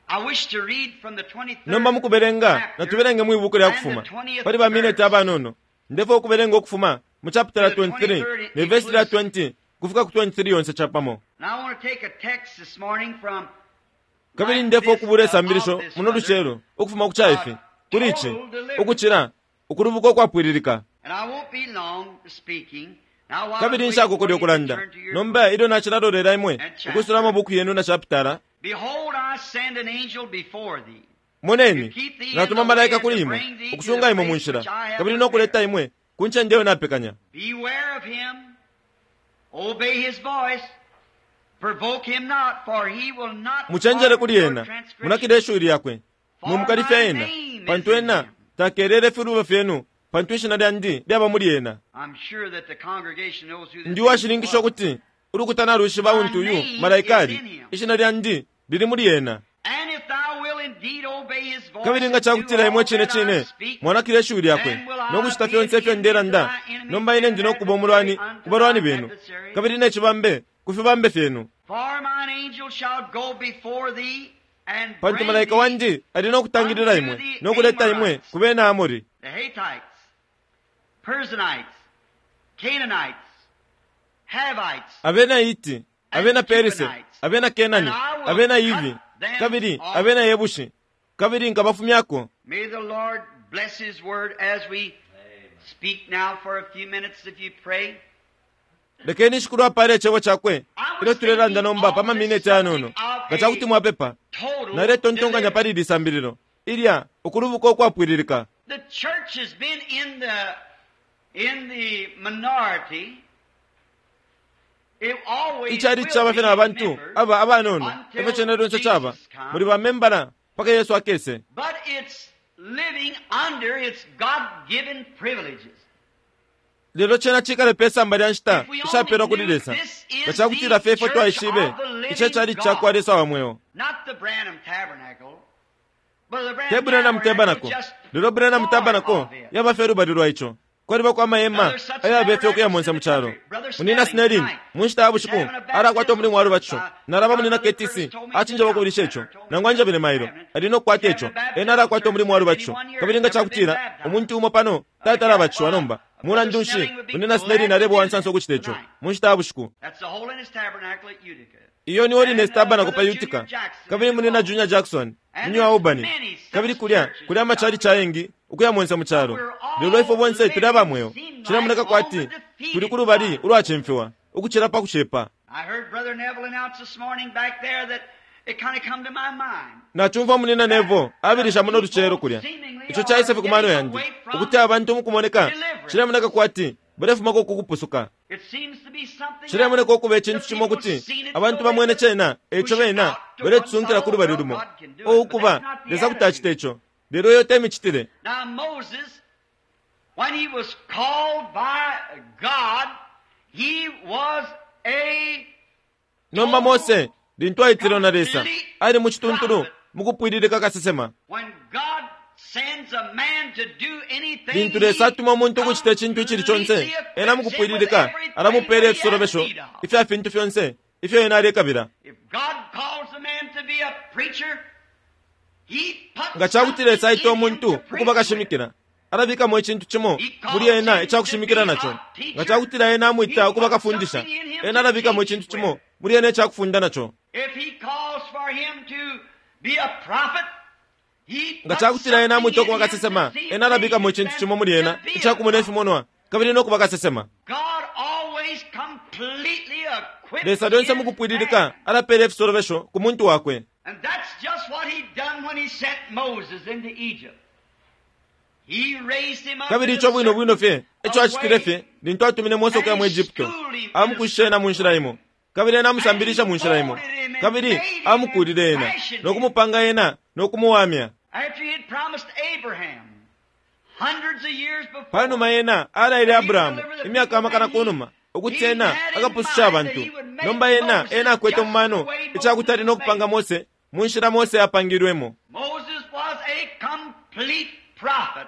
I wish to read from the twenty-third Nomba mukubelenga chapter natubelenge mwi buku lya kufuma pali ba mineti abanono ndefwaya ukubelenga ukufuma mu chapter twenty-three ne verse lya twenty kufika ku twenty-three yonse capamo. And I want to take a text this morning from Kabili ndefwaya ukubula isambilisho muno lucelo ukufuma ku caifi kuli ici ukucila ukulubuka ukwapwililika. And I won't be long speaking. Kabili nshakokole ukulanda nomba ilyo nacilalolera imwe ukusula amabuku yenu na chapitala. Moneni, natuma malaika kuli imwe ukusunga imwe mu nshila kabili nokuleta imwe ku ncende iyo napekanya. Muchenjele kuli ena, munakile ishiwi lyakwe, mwimukalifya ena, pantu ena takelele filubo fyenu, pantu ishina lyandi lyaba muli ena. Ndi uwashininkisha ukuti ulukuta nalushiba untu uyu malaika ali, ishina lyandi lili muli ena. Kabili nga cakutila imwe cine cine mwanakile ishiwi lyakwe nokucita fyonse ifyo ndelanda, nomba ine ndi nokuba umulwani ku balwani benu, kabili ne cibambe ku fibambe fyenu. Pantu malaika wandi ali nokutangilila imwe nokuleta imwe ku bena Amori, abena Hiti, abena Perise, abena Kenani, abena Hivi, kabili abena Yebushi, kabili nkabafumyako. May the Lord bless His word as we speak now for a few minutes if you pray. Lekeni Shikulu apale icebo cakwe ilyo tulelanda nomba pa mamineti ayanono. Nga cakuti mwapepa, naletontonkanya pali ili sambililo ilya ukulubuka ukwapwililika. The church has been in the in the minority. Icali caba fye na bantu aba abanono efyo cena lyonse caba muli bamembala mpaka Yesu akese. But it's living under its God-given privileges. Lelo cena cikale pe samba lya nshita ishapelwa kuli Lesa. Nga cakutila fye ifwe twaishibe ico cali cakwa Lesa wa mweo. Te Branham Tabernacle, lelo Branham Tabernacle yaba fye lubali lwa ico. Kwalibako amahema ayabe fye ukuya monse mu calo. Munina Snelling mu nshita ya bushiku alakwata umulimu wa lubatisho. Nalaba munina K T C acinjaba ukubilisha ico, nangu anjabile mailo ali nokukwata ico. Ena alakwata umulimu wa lubatisho. Kabili nga cakutila umuntu umo pano tatalabatishiwa nomba, mulandu nshi munina Snelling aleba uwansansa ukucita ico mu nshita ya bushiku. Iyo ni Holiness Tabernacle pa Utica, kabili munina Junior Jackson munyi wa Albany, kabili kulya kuli amachali chayengi ukuya monse mu calo. Lelo ifwe bonse tuli abamweo, cilemoneka kwati tuli ku lubali ulwacimfiwa ukucila pa kucepa. Nachumva munina Neville abilisha muno lucelo kulya, ico caisa fye ku mano yandi ukuti abantu mukumoneka cilemoneka kwati balefumako kukupusuka. Cilemoneka ukuba icintu cimo kuti abantu bamwene cena eco bena baletusunkila ku lubali lumo. O ukuba Lesa kuti acita ico, lelo iyo temicitile. Now Moses, when he was called by God, he was a Nomba Mose lintu aitilwe na Lesa ali mu cituntulu mukupwililika kasesema. When God sends a man to do anything, Lintu Lesa atuma umuntu ukucita icintu icili conse, ena mukupwililika alamupela ifisolobesho ifya fintu fyonse ifyo ena alekabila. If God calls a man to be a preacher, he puts Nga cakuti Lesa aita something in him umuntu to preach ukuba with. kashimikila, alabikamo icintu cimo muli ena icakushimikila naco. Nga cakutila ena amwita ukuba kafundisha, ena alabikamo icintu cimo muli ena icakufunda naco. If he calls for him to be a prophet, he Nga puts cakutila ena amwita something ukuba in him kasesema, to see ena alabikamo visions icintu cimo muli ena and to be a icakumona prophet. ifimonwa kabili nokuba kasesema. God always completely equips Lesa lyonse his mukupwililika man. alapela ifisolobesho ku muntu wakwe. And that's just what he done when he sent Moses into Egypt. He raised him up Kabili in ico a bwino bwino fye certain eco acitile fye lintu atumine Mose ukuya mu Egypto, amukushishe ena mu nshila imo, kabili ena amusambilisha mu nshila imo, kabili amukulile ena nokumupanga ena nokumuwamya. After he had promised Abraham hundreds of years before, Panuma ena alaile Abrahamu imyaka amakana kunuma ukuti ena akapususha abantu. Nomba ena ena akwete mu mano icakuti ali nokupanga Mose mu nshila Mose apangilwemo. Moses was a complete prophet.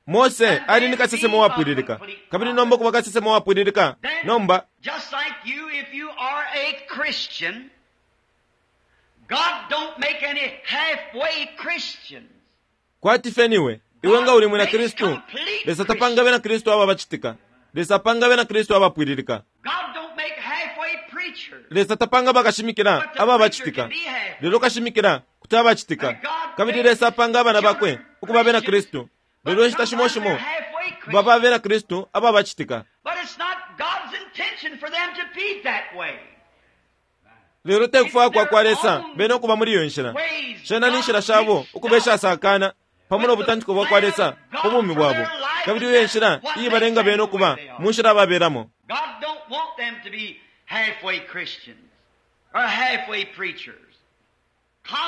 Mose ali ni kasesema uwapwililika, kabili nomba ukuba kasesema uwapwililika Then, nomba just like you, if you are a Christian, God don't make any halfway Christians. kwati fye niwe iwe nga uli mwina Kristu, Lesa tapanga bena Kristu aba bacitika. Lesa apanga bena Kristu abapwililika. God don't make halfway preachers. Lesa tapanga bakashimikila aba bacitika, lelo kashimikila kuti abacitika. Kabili Lesa apanga abana bakwe ukuba bena Kristu, lelo inshita shimo shimo baba bena Kristu aba bacitika. But it's not intention for them to be that way. Lelo tekufwaya kwa kwa Lesa bene ukuba muli iyo nshila. Shena ni nshila shabo ukuba ishasakana pamo no butantiko bwa kwa Lesa ku bumi bwabo, kabili iyo nshila iyibalenga bene ukuba mu nshila babelamo. God don't want them to be halfway Christians or halfway preachers.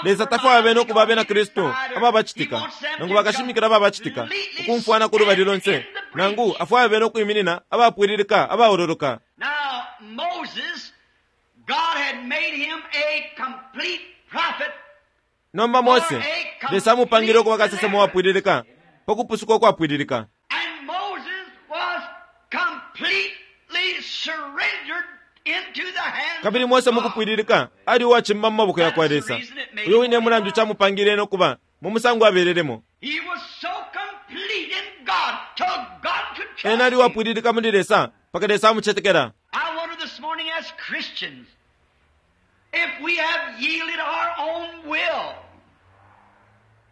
Lesa tafwaya bene ukuba abena Kristu ababacitika nangu bakashimikila ababacitika ukumfwana ku lubali lonse, nangu afwaya bene ukwiminina abapwililika abaololoka. Now Moses, God had made him a complete prophet. Nomba Mose, Lesa amupangile ukuba kasesema wapwililika pa kupusuka ukwapwililika. And Moses was completely surrendered into the hands Kabili Mose of God. mukupwililika ali uwacimba mu maboko ya kwa Lesa. Uyo wine mulandu camupangile no kuba mu musango abelelemo. He was so complete in God till God could trust Ena ali him. uwapwililika muli Lesa mpaka Lesa amucetekela. I wonder this morning as Christians if we have yielded our own will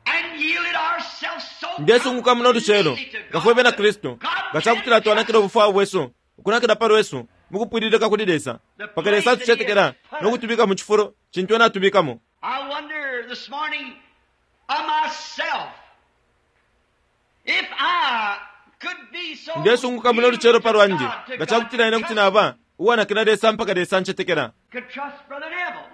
and yielded ourselves so Ndesunguka muno lucelo completely to nga fwe bena God Kristu that God nga cakutila can twanakila ubufwayo bwesu ukunakila pa lwesu mukupwililika kuli Lesa mpaka Lesa atucetekela no kutubika mu cifulo cintu ena atubikamo. I wonder this morning of myself if I could be so Ndesunguka muno lucelo pa lwandi yielded to nga God, cakutila ine to kuti God naba uwanakila Lesa mpaka Lesa ancetekela. could trust Brother Neville,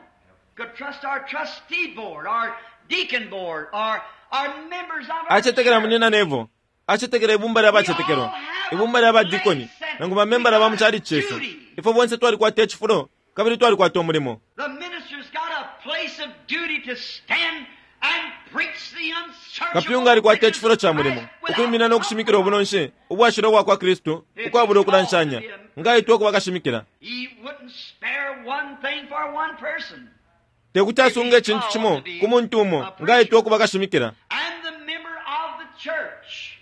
could trust our trustee board, our deacon board, our, our members of our Acetekela church. munina Nevo, acetekela ibumba lya bacetekelwa, ibumba lya badikoni nangu bamembala ba mu chalichi chesu. Ifwe bonse twalikwata icifulo kabili twalikwata umulimo. The minister's got a place of duty to stand and preach the unsearchable Kapyunga alikwata riches icifulo of cha mulimo Christ without ukwimina no kushimikila ubunonshi ubwashila ubwa kwa Kristu ukwabula ukulanshanya ngaitwa ukuba kashimikila. He wouldn't spare one thing for one person. Tekuti asunge icintu cimo ku muntu umo ngaitwa ukuba kashimikila. And the member of the church,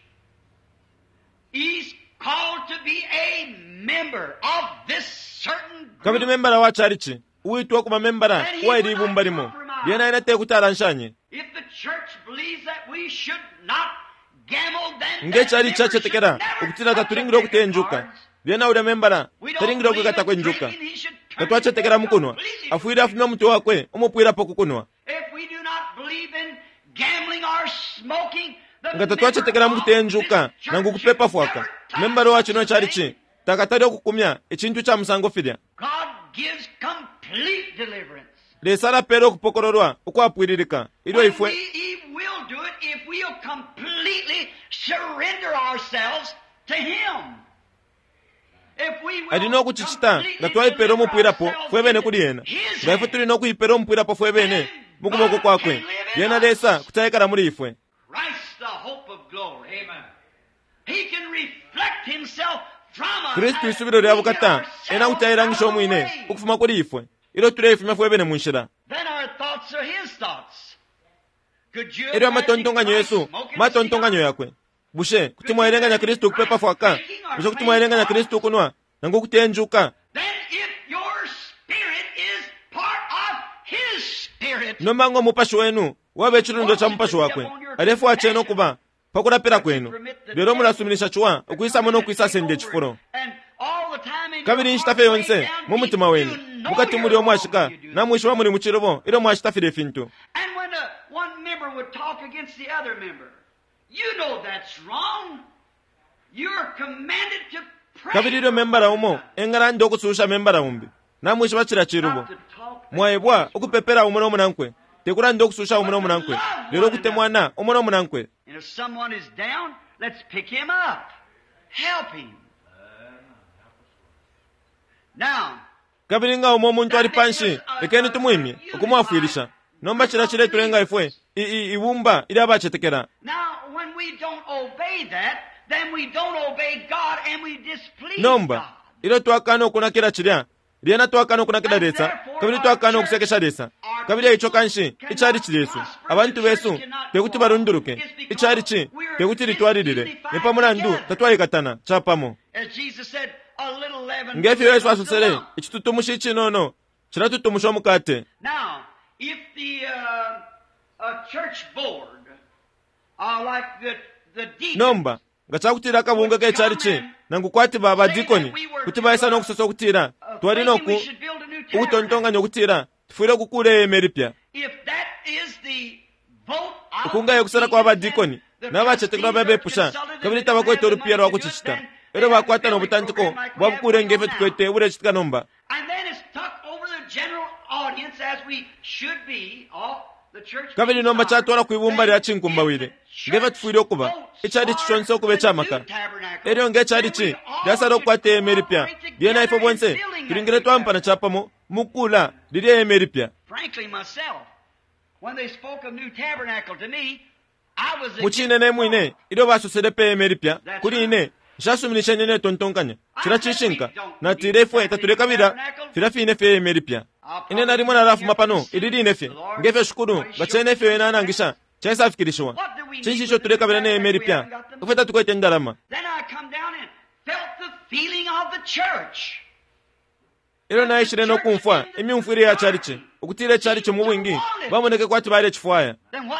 he's called to be a member of this certain Kabili group. membala wa chalichi uwitwa ukuba membala uwaili ibumba limo lyena ena tekuti alanshanye. If the church believes that we should not gamble, then Nge that chali member should chacetekela never ukutila touch a tatulingile deck of ukutenjuka cards. lyena ulya membala We don't talingile believe ukwikatako in injuka. drinking, he should turn Tatwacetekela himself mukunwa completely afwile afumya umutwe wakwe umupwilapo kukunwa. If we do not believe in gambling or smoking, the Nga tatwacetekela member of mukutenjuka this church nangu kupepa should fwaka never touch membala wa chino such a chalichi thing. takatali okukumya icintu ca musango filya. God gives complete deliverance. Lesa alapela okupokololwa ukwapwililika ilyo When ifwe we, he will do it if we'll completely surrender ourselves to Him. If we will ali no kucicita completely nga twaipela deliver umupwilapo ourselves fwe bene into kuli ena His nga ifwe hand. tuli no kuipela umupwilapo fwe bene mu kuboko kwakwe lyena Lesa kuti aikala muli ifwe. Christ, the hope of glory. Amen. He can reflect Himself from us. Kristu as isubilo lya we get bukata ourselves ena kuti ailangisha out of the umwine way. ukufuma kuli ifwe ilyo tuleifumya fwe bene mu nshila. Then our thoughts are His thoughts. Could you Elyo imagine amatontonkanyo Christ yesu smoking a matontonkanyo cigar? yakwe. Bushe kuti mwaelenganya Kristu ukupepa fwaka? Bushe kuti mwaelenganya Kristu ukunwa nangu ukutenjuka? Then if your spirit is part of His spirit, Nomba ngo mupashi wenu waba icilundo ca mupashi wakwe alefwaya cena ukuba pa kulapila kwenu, lelo mulasuminisha ciwa ukwisamo no kwisasenda icifulo. and all the time in your Kabili inshita heart fye way yonse down mu deep, mutima wenu you know mukati you're muli wrong omwashika when you do that. namwishiba muli mu cilubo ilyo mwashita filya ifintu. And when uh, one member would talk against the other member, you know that's wrong. You're commanded to pray. Kabili ilyo membala umo engalanda ukususha membala umbi namwishiba cilya cilubo. Not to talk Mwaebwa ukupepela umo nomunankwe tekulanda ukususha umo nomunankwe lelo ukutemwana umo nomunankwe. And if someone is down, let's pick him up. Help him. Now, Kabili nga umo umuntu ali panshi lekeni tumwimye ukumwafwilisha. Nomba cilya ciletulenga ifwe i- i- ibumba ilya bacetekela. now when we don't obey that, then we don't obey God and we displease Nomba God. ilyo twakana ukunakila cilya lyena twakana ukunakila Lesa kabili twakana ukusekesha Lesa. Kabili eico kanshi ichalichi lyesu abantu besu tekuti balunduluke ichalichi tekuti litwalilile ni pa mulandu tatwaikatana capamo. As Jesus said, a little leaven Ngefyo Yesu leavens the asosele lump. icitutumushi icinono cilatutumusha umukate. Now, if the uh, uh, church board, uh, like the, the deacons, Nomba Nga cakutila akabunga ke chalichi nangu kwati ba badikoni kuti baisa nokusosa ukutila twali noku ukutontonkanya ukutila tufwile ukukula ihema ilipya. Ukunga kusala kwa badikoni n'abacetekela babepusha kabili tabakwete ulupiya lwa kucicita elyo bakwata n'obutantiko bwa bukule ngefyo tukwete bulecitika nomba. Kabili nomba catwala kwibumba lya cinkumbawile ngefyo tufwile ukuba icalichi conse ukuba icamaka. Elyo ngecalichi lyasala okukwata ihema ilipya lyena ifwe bonse tulingile twampana capamo mukula lilya ihema ilipya. Mucine ne mwine ilyo basosele pe ihema ilipya kuli ine nshasuminishenye netontonkanya cila cishinka natile ifwe tatulekabila filya fine fye ihema ilipya. Ine nalimo nalafuma pano ili line fye ngefyo shukulu nga cene ifyo ena anangisha caisafikilishiwa. Cinshi ico tulekabila ne ihema ilipya ifwe tatukwete indalama. Ilyo naishile nokumfwa imyumfwile ya chalichi ukutila icalichi mu bwingi bamoneke kwati balecifwaya.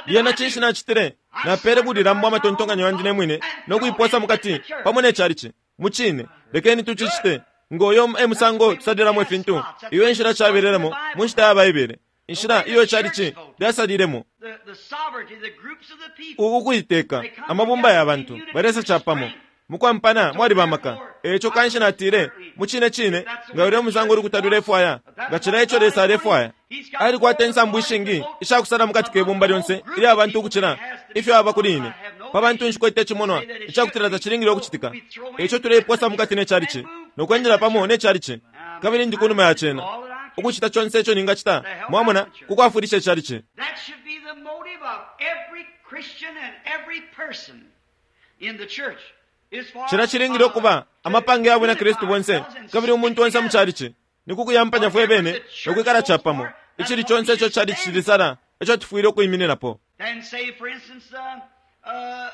Lyena cinshi nacitile? Napele bulilambo amatontonkanyo yandi ne mwine nokuiposa mukati pamo ne chalichi. Mucine lekeni tucicite ngoyo emusango tusalilamo ifintu. Iyo enshila cabelelamo mu nshita ya Baibele, inshila iyo icalichi lyasalilemo ukuiteka amabumba ya bantu balesa capamo mukwampana mwali bamaka. Eco kanshi natile mucine cine nga ulya musango ulukuta lulefwaya nga cila ico Lesa alefwaya. Alikwata insambu ishingi ishakusala mukati ke bumba lyonse ilya abantu ukucila ifyo aba kuli ine. Pa bantu nshikwete icimonwa icakutila tacilingile ukucitika. Eco tuleiposa mukati ne chalichi nokwendela pamo ne chalichi kabili ndi kunuma ya cena ukucita conse ico ningacita mwamona kukwafwilisha icalichi. Cila cilingile ukuba amapange ya bwina Kristu bonse kabili umuntu onse mu chalichi nikukuyampanya fwe bene nokwikala capamo. Icili conse ico chalichi cilisala ico tufwile ukuimininapo.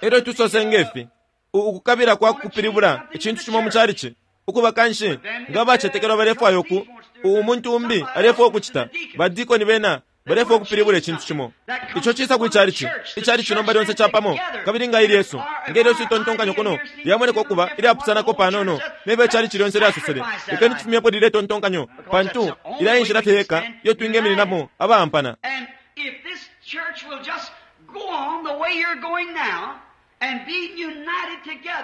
Elyo tusose ngefi ukukabila kwa kupilibula icintu cimo mu chalichi ukuba kanshi nga bacetekelwa balefwaya uku umuntu umbi alefwaya ukucita badikoni bena balefwaya ukupilibula icintu cimo. Ico cisa kwi chalichi icalichi nomba lyonse capamo kabili nga ili Yesu nge Yesu itontonkanyo kuno lyamoneka ukuba ilyapusanako panono nefyo icalichi lyonse lyasosele. Lekeni tufumyepo lilya itontonkanyo pantu ilya inshila fye yeka iyo twingemininamo abaampana.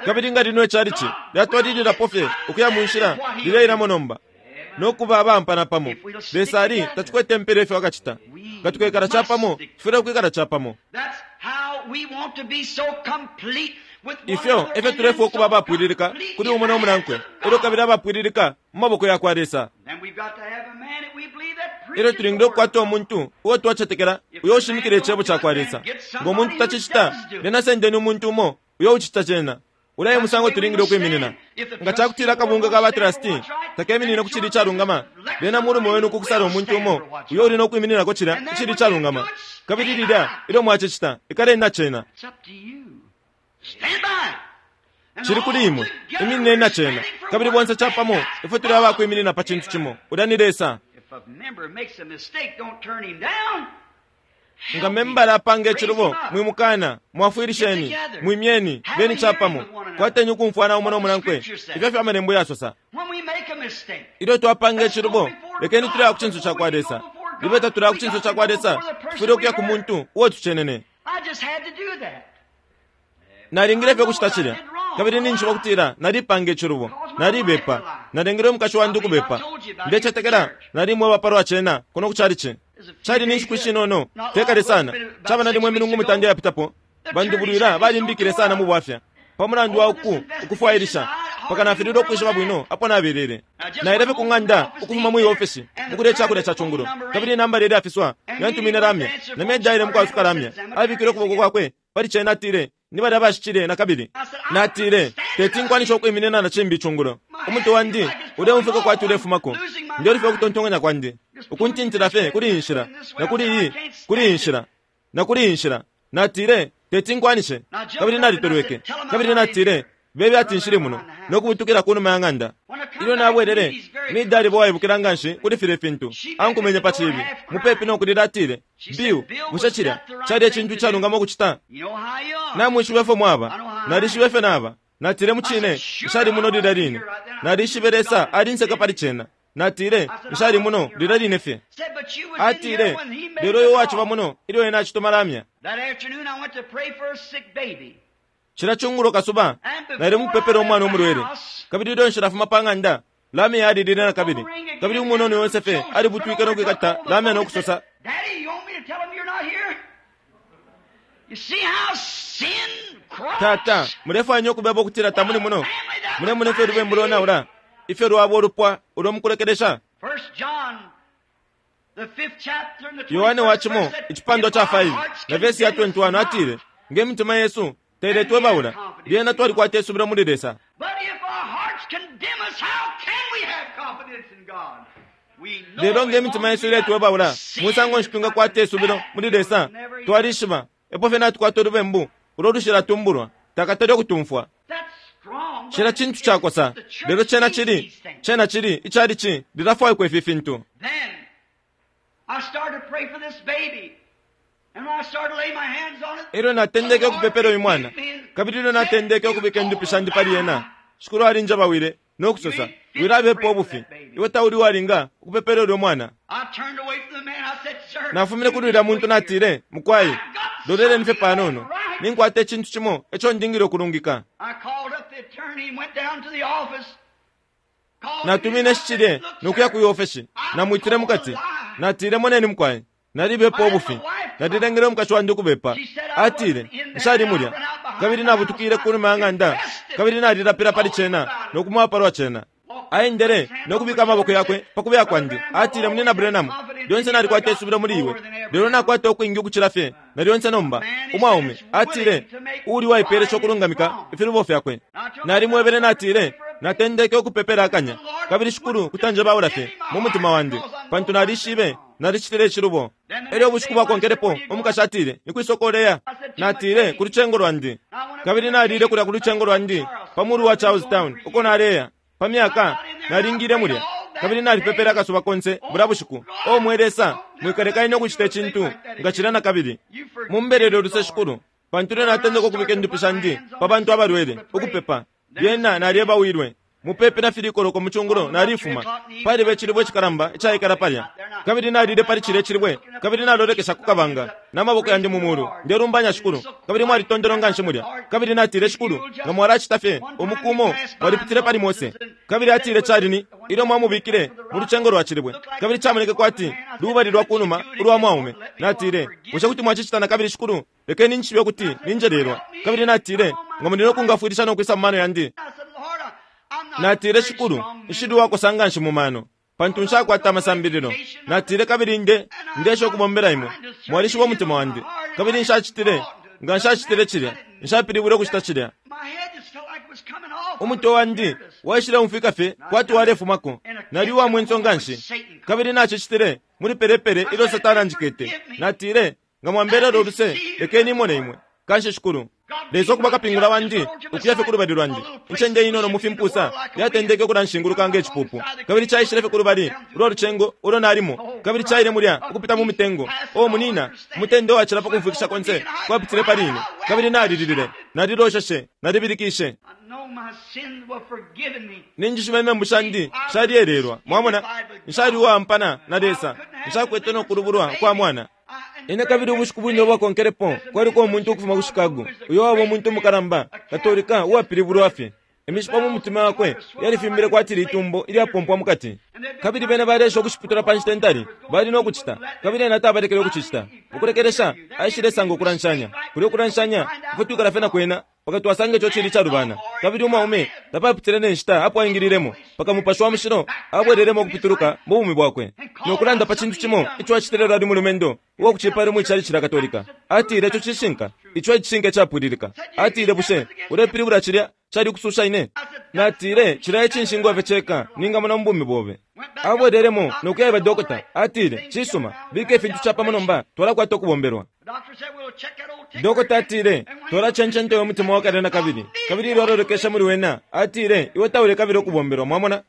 Kabili nga lino icalichi lyatwalililapo fye ukuya mu nshila lileilamo nomba nokuba abaampana pamo. Lesa ali tacikwete mpela ifyo akacita. Nga tukwikala capamo tufwile ukwikala capamo. Ifyo efyo tulefwaya ukuba abapwililika kuli umo nomunankwe elyo kabili abapwililika mu maboko ya kwa Lesa. Elyo tulingile ukukwata umuntu uo twacetekela uyo ushimikila icebo ca kwa Lesa. Ngo muntu tacicita lyena sendeni umuntu umo uyo ucita cena. Ulaye musango tulingile ukwiminina. Nga cakutila akabunga ka batrasti takeminine ku cili icalungama lyena mulume wenu kukusala umuntu umo uyo uli nokwimininako cilya icili icalungama. Kabili lilya ilyo mwacicita ikaleni na cena. Cili kuli imwe iminineni na cena kabili bonse capamo ifwe tuli abakwiminina pa cintu cimo. Ulya ni Lesa. Nga membala apanga icilubo mwimukana mwafwilisheni mwimyeni beni capamo kwateni ukumfwana umo nomunankwe. Ifyo fyo amalembo yasosa. Ilyo twapanga icilubo lekeni tuleya ku cinso ca kwa Lesa. Libe tatulaya ku cinso ca kwa Lesa tufwile ukuya ku muntu uo tucenene. Nalingile fye ukucita cilya kabili ninjishiba ukutila nalipanga icilubo nalibepa nalengele umukashi wandi ukubepa. Ndecetekela nalimweba palwa cena kuno ku chalichi. Cali ni nshiku ishinono tekale sana caba nalimwe imilungu mitanda yapitapo bandubulwila balimbikile sana mu bwafya pa mulandu wa uku ukufwailisha paka nafilile ukwishiba bwino apo nabelele. Naile fye ku ng'anda ukufuma mwi ofesi mukulya icakulya ca cungulo kabili inamba lye lyafiswa yantumine lamya namedaile mukwasuka lamya abikile ukuboko kwakwe pali cena atile ni balya bashicile na kabili. Natile teti nkwanisha ukwiminina na cimbi icungulo. Umutwe wandi uleumfika kwati ulefumako ndyolifye ukutontonkanya kwandi ukuntintila fye kuli iyi nshila na kuli iyi kuli iyi nshila na kuli iyi nshila. Natile teti nkwanishe kabili nalitolweke kabili natile bebe ati nshili muno nokubutukila kunuma ya ng'anda. Ilyo nabwelele midali bo waibukila nganshi kuli filya ifintu ankumenye pa cibi mupepi nokulila atile Bill bushe cilya cali ecintu icalungama ukucita? Namwishiba ifyo mwaba nalishiba ifyo naba. Natile mucine nshali muno lilya line. Nalishibe Lesa alinseka pali cena. Natile nshali muno lilya line fye. Atile lelo iwe waciba muno ilyo ena acituma lamya. Cila chungulo kasuba nali mukupepela umwana umulwele, kabili ilyo nshilafuma pa ng'anda lamya yalilile na kabili, kabili umunono yonse alibutwike no kwikata lamya no kusosa, Tata, mulefwanya ukubeba ukutila tamuli muno? Mulemona ifyo lubembu lonaula, ifyo lwaba ulupwa ulo mukulekelesha. Yohane wa cimo icipandwa ca five na vesi ya twenty-one atile, nge mitima yesu tailetwebaula, lyena twalikwata isubilo muli Lesa. Lelo nge mitima yesu iletwebaula, musango nshi twingakwata isubilo muli Lesa? Twalishiba epo fye natukwata ulubembu ulo lushilatumbulwa, takatali okutumfwa. Cila cintu cakosa, lelo cena cili cena cili icali ci lilafwaikwa ifi fintu. Elyo natendeke ukupepela uyu mwana, kabili ilyo natendeke ukubika indupi shandi pali ena, Shikulu alinjabawile no kusosa, wilabepa ubufi, iwe tauli walinga ukupepela ulyo mwana. Nafumine kuli ulya muntu natile, mukwai, loleleni fye panono, ninkwata icintu cimo eco ndingile ukulungika. Natumine shicilye nokuya ku ofesi, namwitile mukati, natile moneni mukwai, nalibepa ubufi, nalilengele umukashi wandi ukubepa. Atile nshali mulya, kabili nabutukile kunuma ya ng'anda, kabili nalilapila pali cena nokumwapa lwa cena. Aendele nokubika amaboko yakwe pakubeya kwandi. Atile, munina Branham, lyonse nalikwata isubilo muli iwe, lelo nakwata ukwingi ukucila fye na lyonse nomba. Umwaume atile uli waipelesha ukulungamika ifilubo fyakwe. Nalimwebele natile natendeke ukupepela akanya, kabili Shikulu kutanjebaula fye mu mutima wandi, pantu nalishibe nalicitile icilubo. Elyo ubushiku bwakonkelepo umukashi atile, nikwisokoleya. Natile ku lucengo lwandi, kabili nalile kulya ku lucengo lwandi pa mulu wa Charlestown uko naleya pa myaka nalingile mulya, kabili nalipepela akasuba konse bula bushiku. O mwe Lesa, mwikaleka ukucita icintu nga cila na kabili. Mumbelele uluse Shikulu, pantu ilyo natendeka ukubika indupi shandi pa bantu abalwele ukupepa, lyena nalyebawilwe mupepi na filikoloko mu cungulo nalifuma. Paliba icilibwe icikalamba icaikala palya, kabili nalile pali cilya icilibwe, kabili nalolekesha ku kabanga n'amaboko yandi mu mulu, ndelumbanya Shikulu, kabili mwalitondelo nga nshi mulya. Kabili natile, Shikulu, nga mwalacita fye umukumo mwalipitile pali Mose. Kabili atile cali ilyo mwamubikile mu lucengo lwa cilibwe, kabili camoneke kwati lubali lwa kunuma ulwa mwaume. Natile, bushe kuti mwacicita na kabili Shikulu? Lekeni nshibe kuti ninjelelwa. Kabili natile, nga muli nokungafwilisha nokwisa mu mano yandi. Natile, Shikulu, nshili wakosa nga nshi mu mano, pantu nshakwata amasambililo. Natile, kabili nde ndesha ukubombela imwe, mwalishiba umutima wandi, kabili nshacitile nga nshacitile cilya, nshapilibwile ukucita cilya. Umutwe wandi waishile umfika fye kwati walefumako, nali uwamwenso nga nshi, kabili nacicitile muli pelepele ilyo Satana anjikete. Natile, nga mwambelela uluse, lekeni imone imwe. Kanshi Shikulu, Lesa okuba kapingula wandi ukuya fye kulubali lwandi. Incende inono mu fimpusa yatendeke ukulanshinguluka nge cipupu, kabili caishile fye kulubali ulwa lucengo ulo nalimo, kabili caile mulya ukupita mu mitengo. O munina, umutende wacila pa kumfwikisha konse kwapitile pali ine, kabili nalililile, nalilosheshe, nalibilikishe. Ninjishiba imembu shandi shalyelelwa. Mwamona, nshali uwampana na Lesa, nshakwete nokulubulwa kwa mwana. Ine kabili ubushiku bwine ubwakonkelepo kwaliko umuntu ukufuma ku Chicago, uyo waba umuntu umukalamba Katolika uwapilibulwa fye. Imishipa mu mutima wakwe yalifimbile kwati litumbo ilyapompwa mukati, kabili bena balesha ukushiputula pa nshita ntali bali nokucita, kabili ena tabalekele ukucicita. Ukulekelesha aishilesanga ukulanshanya kulya ukulanshanya ifwe twikala fye na kwena paka twasanga ico cili calubana. Kabili umwaume tapapitile ne nshita apo aingililemo, paka Mupashi wa Mushilo abwelelemo ukupituluka mu bumi bwakwe nokulanda pa cintu cimo ico acitile lwali mulumendo uwakucipala mu icali cila Katolika. Atile ico cishinka, ico icishinka icapwililika. Atile, bushe ulepilibula cilya cali kususha ine? Natile, cilya icinshingwa fye ceka ningamona mu bumi bobe. Abwelelemo nokuyaiba dokota. Atile, cisuma, bika ifintu capamo nomba, twalakwata ukubombelwa. Dokota atile, twalacencenta uyo mutima wakale na kabili, kabili ilyo alolekesha muli wena, atile, iwe taule kabili ukubombelwa. Mwamona,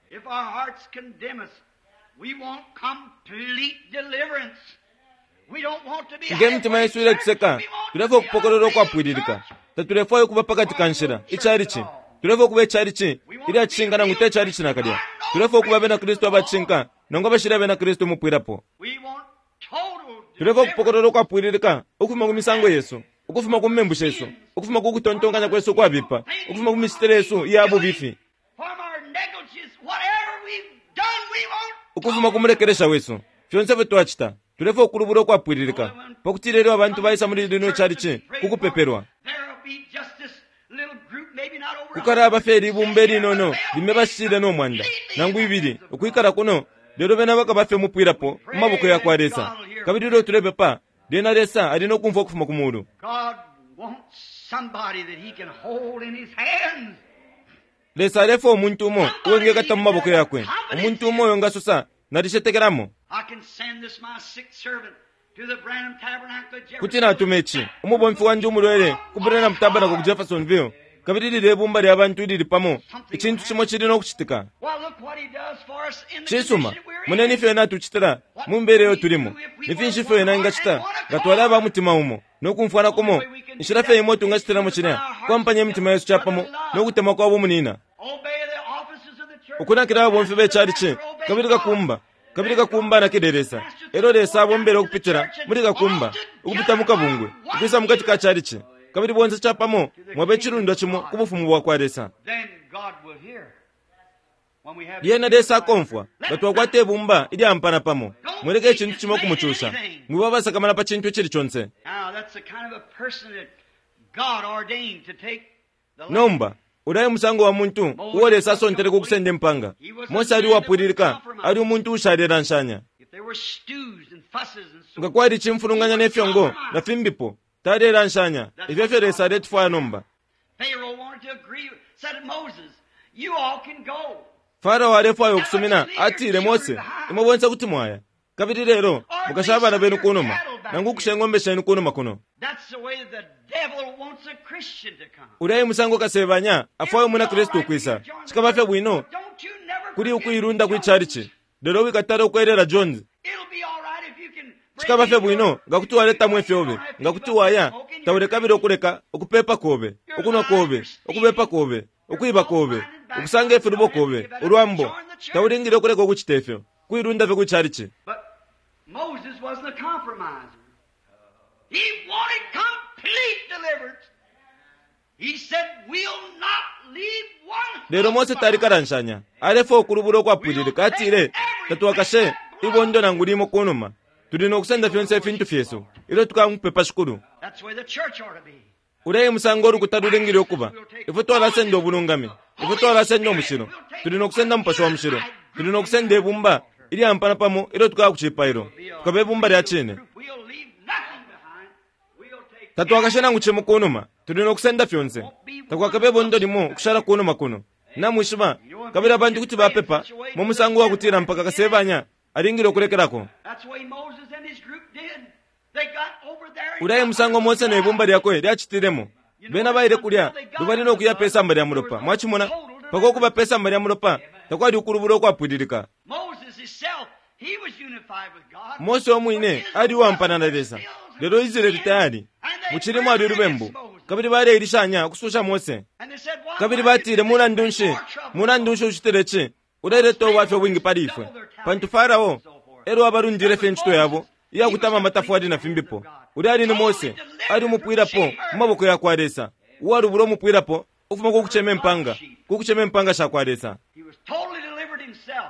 nge mitima yesu iletuseka, tulefwaya ukupokolelwa ukwapwililika. Tatulefwaya ukuba pakati ka nshila icalici, Tulefwaya ukuba icalici ilya cishinka nangu te calici nakalya. Tulefwaya ukuba abena Kristu abacishinka nangu abashili abena Kristu umupwilapo. We want total Tulefwaya ukupokolola ukwapwililika ukufuma ku misango yesu, ukufuma ku membu shesu, ukufuma ku kutontonkanya kwesu ukwabipa, ukufuma ku micitile yesu iya bubifi, from our negligence, whatever we've done, we want ukufuma ku mulekelesha wesu. Fyonse ifyo twacita, tulefwaya ukulubula ukwapwililika, pakutila ilyo abantu baisa muli lino icalici ku kupepelwa, There'll be just this little group, maybe not over kukalaba fye libumba ilinono lime bashile no mwanda nangu ibili ukwikala kuno, lelo bena bakaba fye umupwilapo mu maboko ya kwa Lesa. Kabili ilyo tulepepa, lyena Lesa ali no kumfwa ukufuma ku mulu. God wants somebody that he can hold in his hands. Lesa alefwaya umuntu umo uwengekata mu maboko yakwe, umuntu umo uyo ngasosa nalishetekelamo. I can send this my sick servant to the Branham Tabernacle at Kuti natuma ici umubomfi wandi umulwele ku Branham Tabernacle ku Jeffersonville, kabili lilye bumba lya bantu ilili pamo, icintu cimo cili no kucitika. Well, look what he does for us in the Cisuma, condition we're in. moneni ifyo ena atucitila mu mbele iyo tulimo. Ni finshi ifyo ena engacita nga twali aba mutima umo no kumfwana kumo? Inshila fye imo tungacitilamo cilya kwampanya imitima yesu capamo no kutemwa kwa bumunina, Obey the offices of the church. ukunakila ababomfi becalici. Kabili kakumba, kabili kakumba anakile Lesa. Elyo Lesa abombele ukupitila muli kakumba, ukupita mu kabungwe, ukwisa mukati ka calici, kabili bonse capamo mwabe icilundwa cimo ku bufumu bwa kwa Lesa. Then God will hear. When we have Lyena Lesa akomfwa nga twakwata ibumba ilyampana pamo. Mwileke icintu cimo kumucusha, mwiba abasakamana pa cintu icili conse. Now that's the kind of a person that God ordained to take the land. Nomba ulaye musango wa muntu uo Lesa asontele ku kusenda impanga. Mose ali uwapwililika, ali umuntu uushalelanshanya. If there were stews and fusses and so Nga kwali icimfulunganya ne fyongo na fimbipo, talelanshanya. Ifyo efyo Lesa aletufwaya nomba. Pharaoh wanted to agree, said to Moses, you all can go. Farao alefwaya ukusumina, atile Mose, imwe bonse kuti mwaya, kabili lelo mukasha abana benu kunuma, nangu ukusha ing'ombe shenu kunuma kuno. That's the way the devil wants a Christian to come. Ulaye musango kasebanya afwaya umwina Kristu ukwisa. Cikaba fye bwino Don't you never kuli forget ukuilunda kwi Jones. calici, lelo wikatala ukwelela Jones. It'll be all right if you can bring Cikaba fye in your- bwino nga kuti waletamwa ifyobe, nga kuti waya taulekabila ukuleka ukupepa kobe, ukunwa kobe, ukubepa kobe, ukwiba kobe, ukusanga ifilubo kobe, ulwambo. Taulingile ukuleka ukucita ifyo, kuilunda fye kwi calici. But Moses wasn't a compromiser. He wanted complete deliverance. He said, we'll not leave one Lelo Mose tali kalanshanya, alefwaya ukulubula ukwapwililika. Atile, tatwakashe ibondo nangu limo kunuma, tuli no kusenda fyonse ifintu fyesu ilyo tukamupepa Shikulu. That's where the church ought to be. Ulaye musango ulukuta lulingile ukuba. Ifwe twalasenda ubulungami, ifwe twalasenda umushilo, tuli no kusenda Mupashi wa Mushilo, tuli no kusenda ibumba ilyampana pamo ilyo tukaya ku cipailo, tukaba ibumba lya cine. We'll leave nothing behind. We'll take Tatwakashe nangu cimo kunuma, tuli no kusenda fyonse. Takwakabe ibondo limo ukushala kunuma kuno. Namwishiba, kabili abantu kuti bapepa mu musango wa kutila mpaka kasebanya alingile ukulekelako. That's the way Moses and his group did. They got over there and Ulaye got musango Mose ne ibumba lyakwe lyacitilemo. Bena baile kulya lubali no kuya pe samba lya mulopa. Mwachimona, pako kuba pe samba lya mulopa takwali ukulubula ukwapwililika. Moses himself, he was unified with God. Mose omwine ali uwampana na Lesa, lelo Israeli tayali mucili mwali ulubembu, kabili baleilishanya ukususha Mose. And they said, "Why Kabili batile, mulandu nshi, mulandu nshi ucitile ci? Uleleta ubwafya ubwingi pali ifwe. Pantu Farao elo abalundile fye incito yabo iyakutama amatafwali na fimbipo. Ulya ali ni Mose, ali umupwilapo mu maboko ya kwa Lesa, uwalubula umupwilapo ukufuma ku kucema impanga, ku kucema impanga sha kwa Lesa. He was totally delivered himself.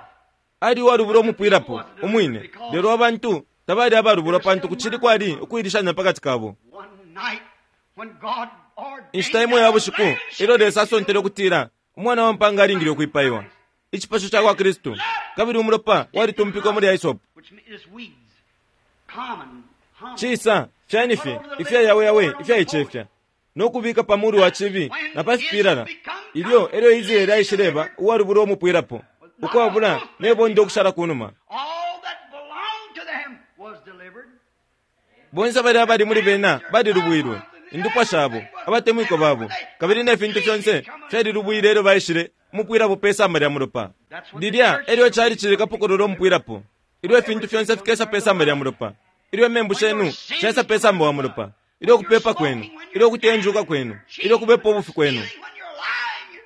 Ali uwalubula umupwilapo umwine, lelo abantu tabali abalubulwa pantu kucili kwali ukuilishanya pakati kabo. One night when God ordained Inshita imo ya bushiku ilyo Lesa asontele ukutila umwana wa mpanga alingile ukwipaiwa, icipasho ca kwa Kristu, kabili umulopa walitumpikwa muli hyssop. which is weeds, common, humble. Cisa fyani fye ifya yawe yawe ifyaicefya no kubika pa mulu wa cibi na pa fipilala. Ilyo elyo Israeli aishileba uwalubula umupwilapo, ukwabula ne bondo ukushala kunuma. All that belonged to them was delivered. Bonse bali abali muli bena balilubwilwe, indupwa shabo, abatemwiko babo, kabili ne fintu fyonse fyalilubwile elyo baishile umupwilapo pe samba lya mulopa. Lilya elyo cali cili kapokolola umupwilapo, ilyo ifintu fyonse fikesa pe samba lya mulopa, ilyo imembu shenu shesa pe samba wa mulopa, ilyo kupepa kwenu, ilyo kutenjuka kwenu, ilyo kubepa ubufi kwenu, Stealing when you're lying,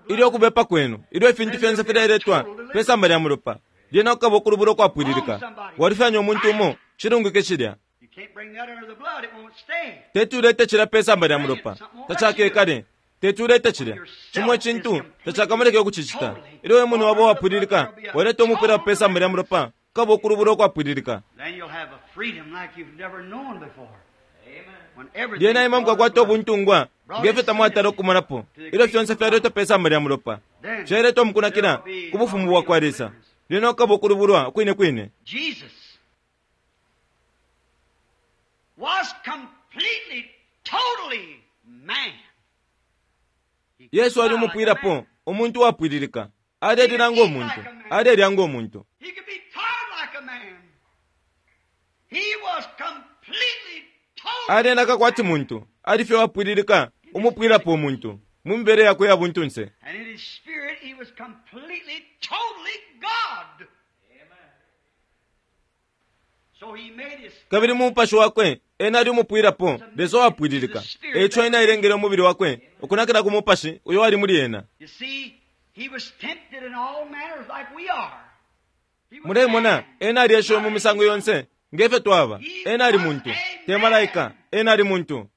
Ilyo kubepa kwenu, ilyo ifintu fyonse fileletwa pesamba lya mulopa, lyena kukaba ukulubula ukwapwililika. Walufyanya umuntu umo, cilungike cilya. Teti ulete cilya pesamba lya mulopa, tacakekale. Teti ulete cilya cimo icintu tacakamuleke ukucicita. Ilyo we mwine waba uwapwililika, waleta umupwilapo pesamba lya mulopa, kukaba ukulubula ukwapwililika. Lyena imwe mukakwata ubuntungwa ngefyo tamwatala ukumonapo. Ilyo fyonse fyaletwa pesamba lya mulopa, fyaletwa mukunakila ku bufumu bwa kwa Lesa, lyena kukaba ukulubulwa kwine kwine. Yesu ali umupwilapo, umuntu uwapwililika. Alelila ngo muntu, alelya ngo muntu. Alenaka kwati muntu, ali fye wapwililika, umupwilapo umuntu mu mibele yakwe ya buntunse. Kabili mu mupashi wakwe ena ali umupwilapo, Lesa wapwililika. Eico ena ailengele umubili wakwe ukunakila ku mupashi uyo wali muli ena. Mulemona, ena alieshiwe mu misango yonse ngefyo twaba. Ena ali muntu, te malaika. Ena ali muntu.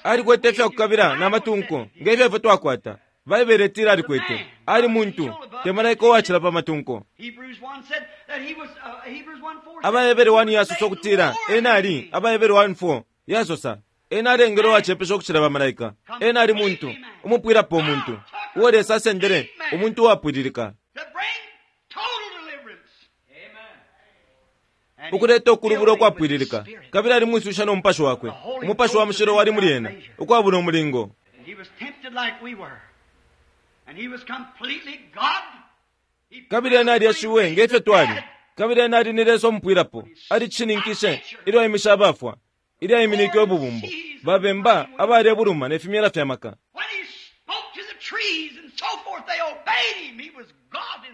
Alikwete ifyakukabila na matunko ngefyo ifyo twakwata. Baibele itila alikwete. Ali muntu, te malaika uwacila pa matunko. Abahebere one yasosa ukutila ena ali, Abahebere one four yasosa ena alengele uwacepesha ukucila bamalaika. Ena ali muntu, umupwilapo umuntu uo Lesa asendele, umuntu uwapwililika, ukuleta ukulubula ukwapwililika. Kabili ali mwisusha no mupashi wakwe, umupashi wa mushilo wali muli ena ukwabula umulingo. Kabili ena alieshiwe ngefyo twali. Kabili ena ali ni Lesa umupwilapo. Alicishininkishe ilyo aimisha abafwa, ilyo aiminike ububumbo, babemba abalebuluma ne fimyela fya maka.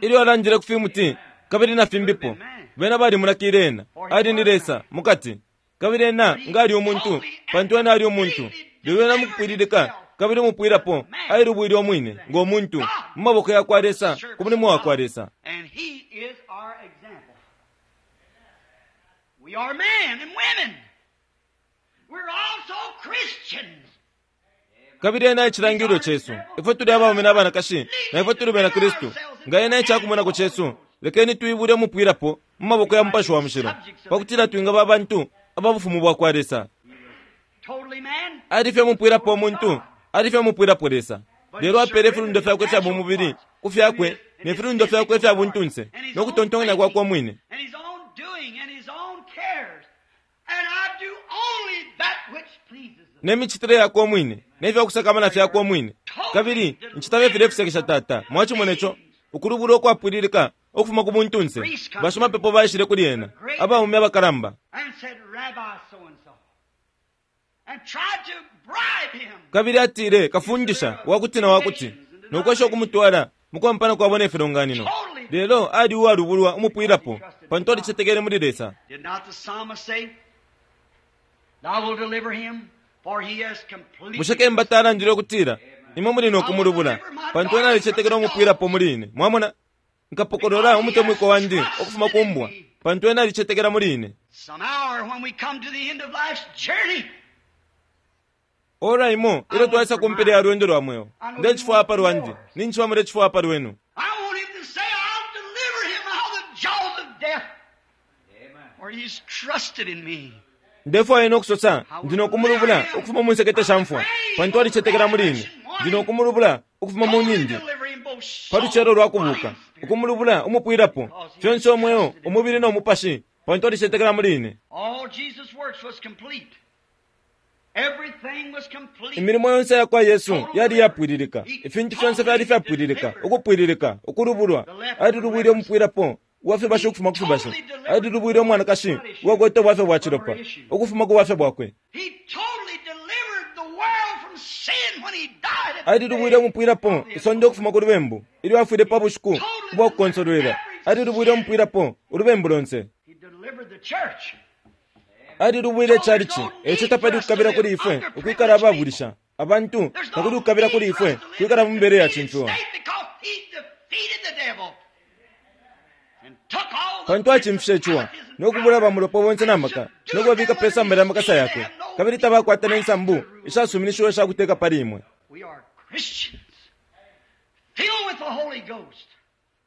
Ilyo alandile ku fimuti kabili na fimbipo, bena balimulakile ena. Ali ni Lesa mukati. Kabili ena nga ali umuntu, pantu ena ali umuntu. Lelo ena mukupwililika kabili umupwilapo ailubwile umwine ngo muntu mu maboko ya kwa Lesa, ku mulimo wa kwa Lesa. Kabili ena ecilangililo cesu. Ifwe tuli abaume na abanakashi, na ifwe tuli bena Kristu. Nga ena ecakumonako cesu, lekeni tuibule umupwilapo mu maboko ya mupashi wa mushilo, pakutila twingaba abantu aba bufumu bwa kwa Lesa. Ali fye umupwilapo umuntu, ali fye umupwilapo Lesa. Lelo apele ifilundo fyakwe fya bumubili ku fyakwe ne filundo fyakwe fya buntunse no kutontonkanya kwakwe umwine ne micitile yakwe umwine ne fyakusakamana fyakwe umwine. Kabili ncita fye fisekesha tata. Mwacimona ico ukulubula ukwapwililika ukufuma ku buntunse. Bashimapepo baishile kuli ena, abaume abakalamba, kabili atile, kafundisha wakuti na wakuti, nokwesha ukumutwala mukuampana kwabo ne filonganino. Lelo ali uwalubulwa umupwilapo, pantu alicetekele muli Lesa. Bushe kemba talandile ukutila, imwe muli nokumulubula, pantu ena alicetekela umupwilapo muli ine. Mwamona, nkapokolola umutemwiko wandi ukufuma ku mbwa, pantu ena alicetekela muli ine. Ora imo ilyo twaisa kumpela ya lwendo lwa mweo, ndecifwaya pa lwandi, ninchiba mulecifwaya pa lwenu. Ndefwaya ena ukusosa, ndi nokumulubula ukufuma mu nsekete sha mfwa, pantu alicetekela muli ine. Ndi nokumulubula ukufuma mu nindi pa lucelo lwa kubuka, ukumulubula umupwilapo fyonse umweo, umubili no mupashi, pantu alicetekela muli ine. Imilimo yonse ya kwa Yesu yali yapwililika. Ifintu fyonse fyali fyapwililika, ukupwililika, ukulubulwa. Alilubwile umupwilapo uwafibasha ukufuma ku fibasha. Alilubwile umwanakashi uwakwete ubwafya bwa cilopa ukufuma ku bwafya bwakwe. Alilubwile umupwilapo isonde ukufuma ku lubembu ilyo afwile pa bushiku ubwa kukonsolwela. Alilubwile umupwilapo ulubembu lonse. Alilubwile chalichi. Eco tapali kukabila kuli ifwe ukwikala ababulisha abantu, takuli kukabila kuli ifwe kwikala mu mibele yacimfiwa, pantu acimfishe iciwa nokubula bamulopo bonse na maka nokubabika pe samba lya makasa yakwe, kabili tabakwata ne nsambu ishasuminishiwa ishakuteka pali imwe.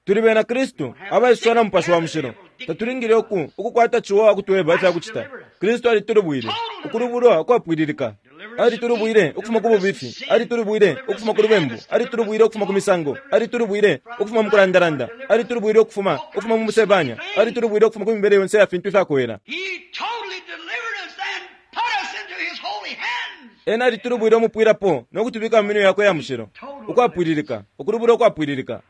Tuli bena Kristu abaiswa na Mupashi wa Mushilo. Tatulingile uku ukukwata ciwa wakutweba ifyakucita. Kristu alitulubwile ukulubulwa kwapwililika. Alitulubwile ukufuma ku bubifi, alitulubwile ukufuma ku lubembu, alitulubwile ukufuma ku misango, alitulubwile ukufuma mu kulandalanda, alitulubwile ukufuma ukufuma mu musebanya, alitulubwile ukufuma ku mibele yonse ya fintu ifyakuwela. Ena alitulubwile umupwilapo nokutubika mu minwe yakwe ya mushilo ukwapwililika, ukulubulwa ukwapwililika.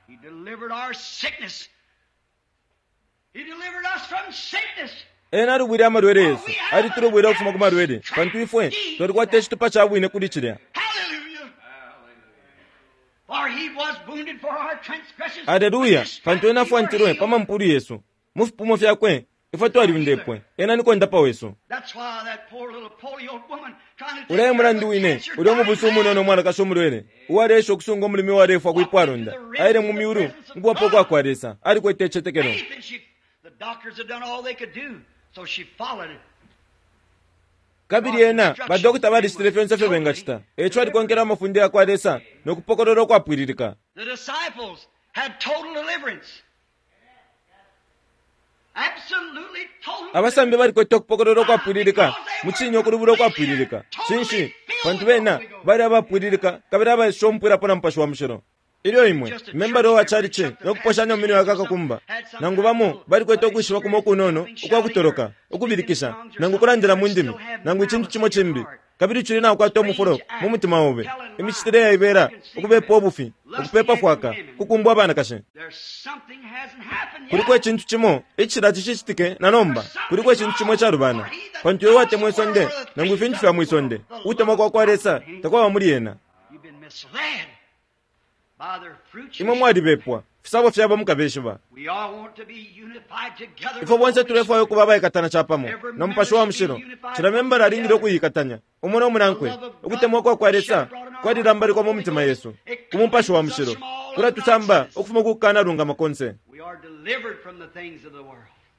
Ena alubwile amalwele yesu, alitulubwile ukufuma ku malwele, pantu ifwe twalikwata icitupa ca bwine kuli cilya. Aleluya! Pantu ena afwantilwe pa mampulu yesu, mu fipumo fyakwe ifwe twaliundepwe. Ena ni kondapa wesu. Ulaye mulandu wine ulya umubusu umunono umwanakashi umulwele uwaleesha ukusunga umulimi uwalefwa kwipwalonda aile mu myulu mukubapo kwakwa Lesa, alikwete icitetekelo. Kabili ena badokota balicitile fyonse ifyo bengacita, eco alikonkela amafunde yakwa Lesa nokupokolola ukwapwililika. Abasambi balikwete ukupokolola ukwapwililika mucinye ukulubula ukwapwililika. Cinshi? Pantu bena bali abapwililika kabili abaisha umupwilapo na Mupashi wa Mushilo. Ilyo imwe membala wa chalichi nokuposhanya mu minwe yakakakumba, nangu bamo balikwete ukwishiba kumo kunono ukwakutoloka, ukubilikisha, nangu kulandila mu ndimi, nangu icintu cimo cimbi, kabili cili nakukwata umufulo mu mutima obe, imicitile yaibela, ukubepa ubufi, ukupepa fwaka, kukumbwa abanakashi. Kuliko icintu cimo icila cicitike na nomba, kuliko icintu cimo icalubana, pantu iwe watemwa isonde nangu ifintu fya mwisonde, ukutemwa kwa kwa Lesa takwaba muli ena. Imwe mwalibepwa, fisabo fyabo mukabeshiba. Ifwe bonse tulefwaya ukuba abaikatana capamo na Mupashi wa Mushilo. Cila membala alingile ukuyikatanya umo no munankwe. Ukutemwa kwa kwa Lesa kwalilambalikwa mu mitima yesu ku Mupashi wa Mushilo, kulatusamba ukufuma ku kukanalungama konse.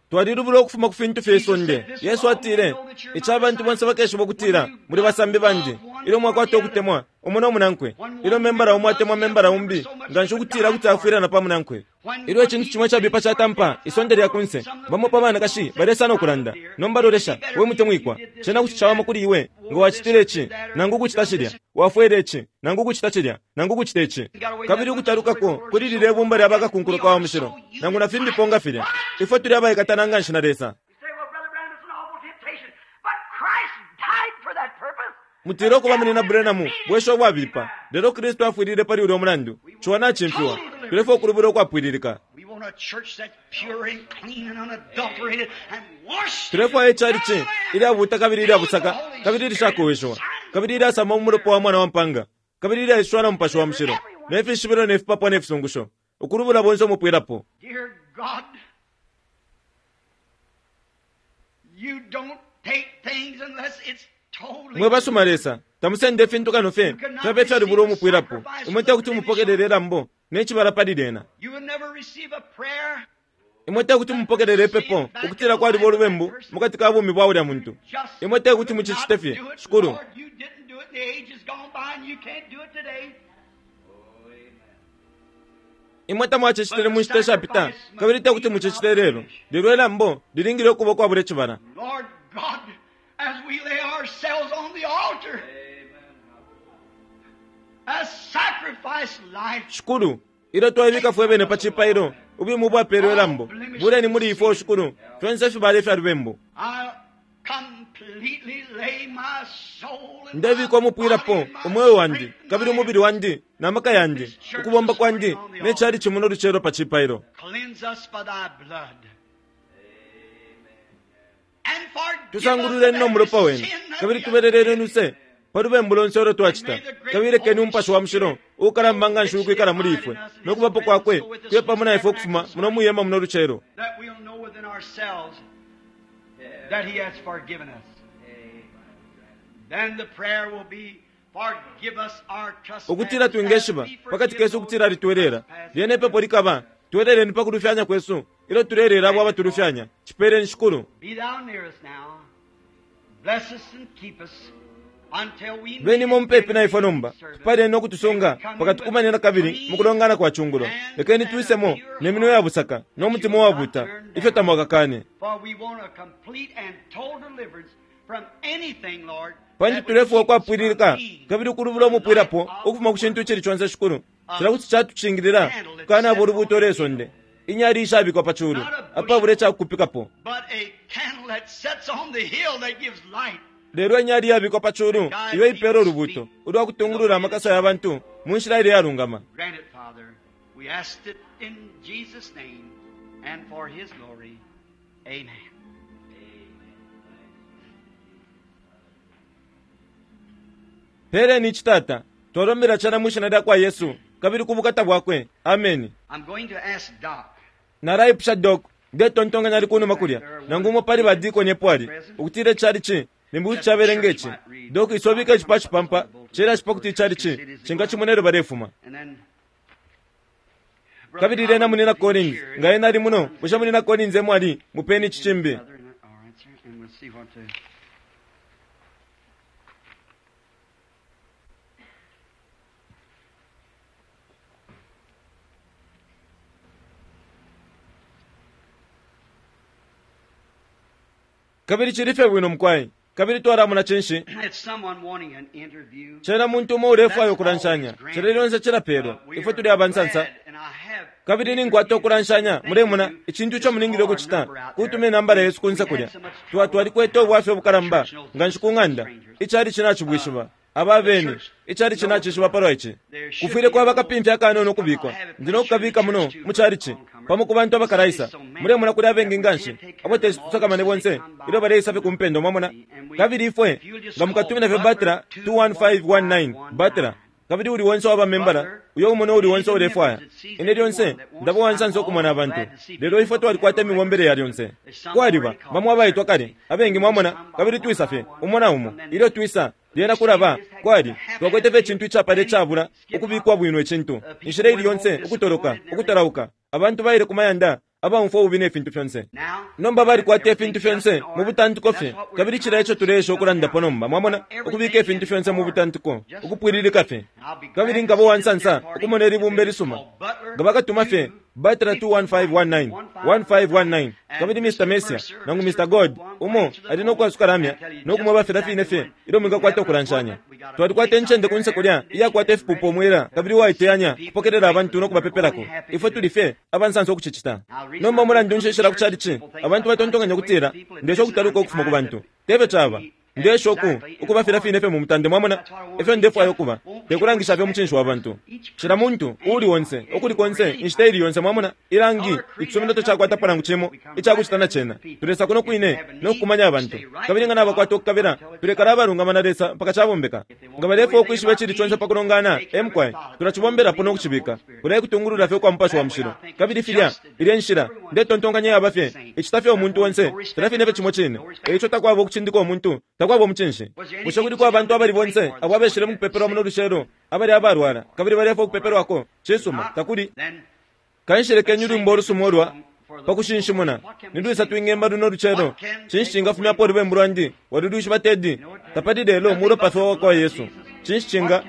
Twalilubula ukufuma ku fintu fye isonde. Yesu atile, ica abantu bonse bakeshiba ukutila muli basambi bandi ilyo mwakwata ukutemwa umo no munankwe. Ilyo membala umo atemwa membala umbi nganshi ukutila kuti afwilana pa munankwe. Ilyo icintu cimo icabipa catampa isonde lya kunse, bamo pa banakashi balesa nokulanda, nomba lolesha we mutemwikwa, cena kuti cawama kuli iwe nga wacitile ici nangu ukucita cilya, wafwele ici nangu ukucita cilya nangu ukucita ici. Kabili ukutalukako kuli lilya ibumba lya bakakunkuluka wa mushilo nangu na fimbipo nga filya. Ifwe tuli abaikatana nganshi na Lesa. Mutile ukuba munina Branham bwesho bwabipa, lelo Kristu afwilile pali ulya mulandu. Ciwa nacimfiwa, tulefwaya ukulubula ukwapwililika. Tulefwaya ichalichi ilyabuta kabili ilyabusaka kabili ilishakoweshiwa kabili ilyasama mu mulopa wa mwana wa mpanga kabili ilyaiswa na Mupashi wa Mushilo ne fishibilo ne fipapwa ne fisungusho, ukulubula bonse umupwilapo. Mwe basuma Lesa, tamusende ifintu kano fye fyabe fyalubula umupwilapo. Imwe tekuti mupokelele ilambo ne cibala pali lyena. Imwe tekuti mupokelele ipepo ukutila kwaliba ulubembu mukati ka bumi bwa ulya muntu. Imwe tekuti mucicite fye, Shikulu. Imwe tamwacicitile mu nshita ishapita kabili tekuti mucicite lelo. Lelo ilambo lilingile ukuba ukwabula icibala. As we lay ourselves on the altar, as sacrifice life. Shikulu, ilyo twaibika fwe bene pa cipailo, ubumu bwapelwe ilambo, buleni muli ifwe, Shikulu, fyonse ifibala ifya lubembu. Ndebika umupwilapo umweo wandi kabili umubili wandi na maka yandi, ukubomba kwandi ne chalichi muno lucelo pa cipailo. Tusangululeni no mulopa wenu kabili tubeleleni luse pa lubembu lonse ulo twacita, kabili lekeni Umupashi wa Mushilo uukalamba nganshi ukwikala muli ifwe nokubapo kwakwe kuye pamo na ifwe ukufuma muno mwihema muno lucelo, that He has forgiven us. Then the prayer will be, forgive us our trespasses Ukutila twingeshiba as we pakati forgive kesu those ukutila alitwelela trespass lyene ipepo likaba tweleleni pakulufyanya kwesu ilyo tulelela abo abatulufyanya chipeeleni shikulu. Be thou near us now. Bless us and keep us until we Benimo meet mupepi na ifwe again nomba in service. tupaleni nokutusunga pakati kumanena kabili mukulongana kwa chungulo lekeni twisemo ne minwe ya busaka no mutima wabuta ifyo tamwakakane. For we want a complete and total deliverance from anything, Lord, Pantu that would tulefwa keep us from ukwapwililika being kabili ukulubula umupwilapo ukufuma ku cintu icili conse shikulu cila kuti catucingilila kukanaba ulubuto lwesonde inyali ishabikwa pa chulu apabula icakukupikapo. but a candle that sets on the hill that gives light. Lelo inyali yabikwa pa chulu iyo ipera ulubuto ulwa kutungulula amakasa ya bantu mu nshila ile yalungama. Grant it, Father. We ask it in Jesus' name and for His glory. Amen. Peleni icitata twalombela cana mu shina lya kwa Yesu kabili ku bukata bwakwe. Ameni. I'm going to ask Doc. Nalaipusha Doc ndetontonkanya ali kunuma kulya nangu umo pali badikoni epo ali ukutila icali limbi kuti cabelenga ici. Doc isobika icipa cipampa cela cipa kuti icali cingacimona elyo balefuma. And then Kabili lyena munina Collins nga ena ali muno bushe munina Collins emo ali mupeni ici cimbi. Brother, and- all right, sir, and we'll see what to. Kabili cili fye bwino mukwai kabili twalamona cinshi. It's someone wanting an interview. Cena muntu umo ulefwaya ukulanshanya cila lyonse cilapelwa ifwe tuli abansansa kabili ninkwata ukulanshanya mulemona icintu ico mulingile ukucita kutuma inambala yesu kunse kulya twa twalikwete ubwafya obukalamba nga nshi ku ng'anda icali cinacibwishiba aba bene icali cinacishiba palwa ici kufwile kwaba kapimfya akanono ukubikwa ndi nokukabika muno mu calici pamo ku bantu abakalaisa mulemona kuli abengi nganshi abo tesi tusakamane bonse ilyo baleisa fye kumpendo mwamona kabili ifwe nga mukatumina fye batira two one five one nine batira kabili uli wonse waba membala uyo umona uli wonse ulefwaya ine lyonse ndaba wansansa okumona abantu lelo ifwe twalikwata imibombele ya lyonse kwaliba bamwe abaitwa kale abengi mwamona kabili twisa fye umo na umo ilyo twisa lyena kulaba kwali twakwete fye icintu icapala icabula ukubikwa bwino icintu inshila ili yonse ukutoloka ukutalauka abantu baile ku mayanda abaumfwa ububi ne fintu fyonse. Nomba balikwata ifintu fyonse mu butantiko fye kabili cila ico tuleesha ukulandapo nomba mwamona ukubika ifintu fyonse mu butantiko ukupwililika fye kabili nkaba uwansansa ukumona ilibumba ilisuma nga bakatuma fye batira two one five one nine one five one nine kabili Mister Messia nangu Mister God umo ali nokwasuka lamya nokumweba filya fine fye ilyo mwingakwata ukulanshanya. Twalikwata incende kunse kulya iyakwata ifipupo omwela kabili uwaiteyanya kupokelela abantu nokubapepelako ifwe tuli fye abansansa ukucicita. Nomba mulandu nshishila ku calici abantu batontonkanya ukutila ndesha ukutaluka ukufuma ku bantu tefyo caba ndesha oku ukuba filya fine fye mu mutande mwamona efyo ndefwaya ukuba tekulangisha fye umucinshi wa bantu cila muntu uuli onse ukuli konse inshita ili yonse mwamona ilangi icisumino tacakwatapo nangu cimo icakucita na cena tulesa kuno kwine nokukumanya abantu kabili nga nabakwata okukabila tulekala abalungama na Lesa mpaka cabombeka nga balefwaya ukwishiba icili conse pakulongana emkwai tulacibombelapo nokucibika kulekutungulula fye ukwa mupashi wa mushilo kabili filya ilya nshila ndetontonkanya yaba fye icita fye umuntu onse filya fine fye cimo cine eico takwaba ukucindika umuntu takwaba umucinshi. Bushe kuliko abantu abali bonse abo abeshile mukupepelwa muno lucelo abali abalwala kabili balefwaya ukupepelwako cisuma takuli. Kanshi lekeni ulwimbo olusuma olwa pakushinshimuna nilwisa twingemba luno lucelo cinshi cingafumyapo olubembu lwandi walulwishiba tedi tapali lelo mulopa fye wakwa Yesu cinshi cinga.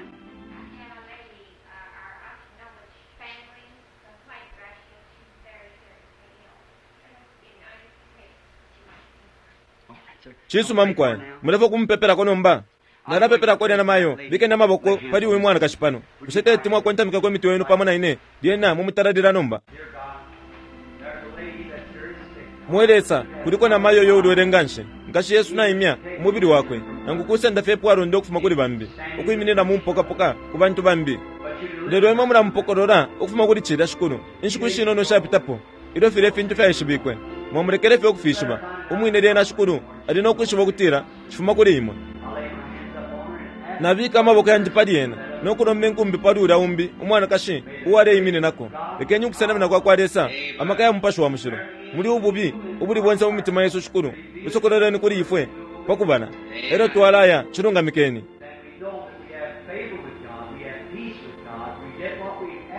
Cisuma mukwai mulefwaya kumupepelako nomba nalapepelako lyena mayo bikeni amaboko pali uyu mwanakashi pano bushe teti mwakontamikako imitwe yenu pamo na ine lyena mumutalalila nomba. Mwe Lesa kuliko na mayo yo ulwele nganshi nkashi Yesu naimya umubili wakwe nangu kusenda fye epwalonda ukufuma kuli bambi ukwiminina mumpokapoka ku bantu bambi lelo imwe mulamupokolola ukufuma kuli cilya shikulu inshiku ishinono shapitapo ilyo filya ifintu fyaishibikwe mwamulekele fye ukufishiba umwine lyena shikulu ali nokwishiba ukutila cifuma kuli imwe. Nabika amaboko yandi pali ena nokulomba inkumbi pali ulya umbi umwanakashi uwaleimininako lekeni ukusenamina kwa kwa Lesa amaka ya mupashi wa mushilo muli ububi ubuli bonse mu mitima yesu shikulu busokololeni kuli ifwe pakubala elyo twalaya cilungamikeni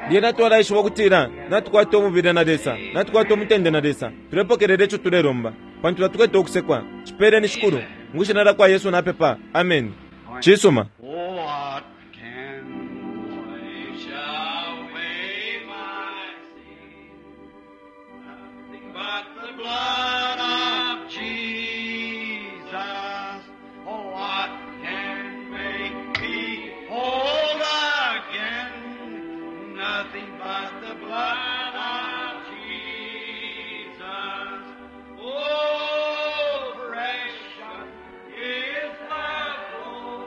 lyena twalaishiba ukutila natukwata umubili na Lesa, natukwata umutende na Lesa, tulepokelela ico tulelomba pantu tatukwete ukusekwa. Cipeleni shikulu mu shina lya kwa Yesu napepa, ameni. Cisuma. What can wash away my sin? Nothing but the blood of Jesus. Oh, what can make me whole again? Nothing but the blood of Jesus. Oh, precious is the flow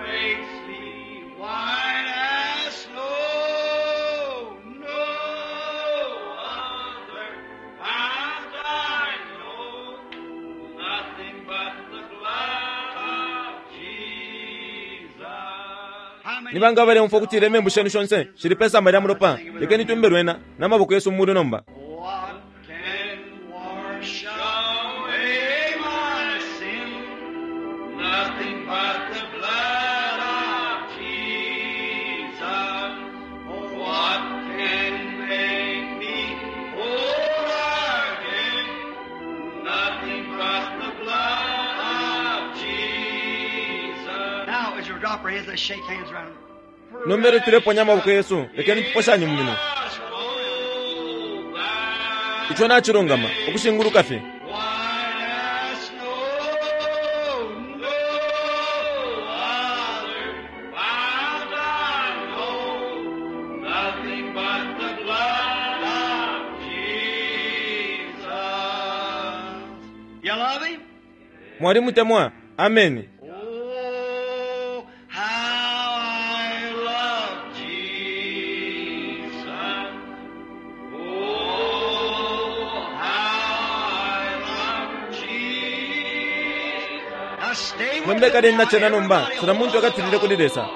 makes me white as snow. No other fount I know, nothing but the blood of Jesus. How many Ni banga baleumfwa ukutila imembu shenu shonse shili pe samba lya mulopa? Lekeni tumbe lwena n'amaboko yesu mu mulu nomba. What can wash away my sin? Nothing but the blood of Jesus. What can make me whole again? Nothing but the blood of Jesus. Now, as you drop our heads, let's shake hands around. Nomba elyo tuleponya amaboko yesu, lekeni tuposhanye mu minwe. Ico nacilungama ukushinguluka fye. White as snow, no other fount I know, nothing but the blood of Jesus. You love him? Mwalimutemwa, ameni. Oh, how I love Jesus. Oh, how I love Jesus. Now stay with Nomba me kaleni now, nacena nomba, everybody. cila muntu akatilile kuli Lesa.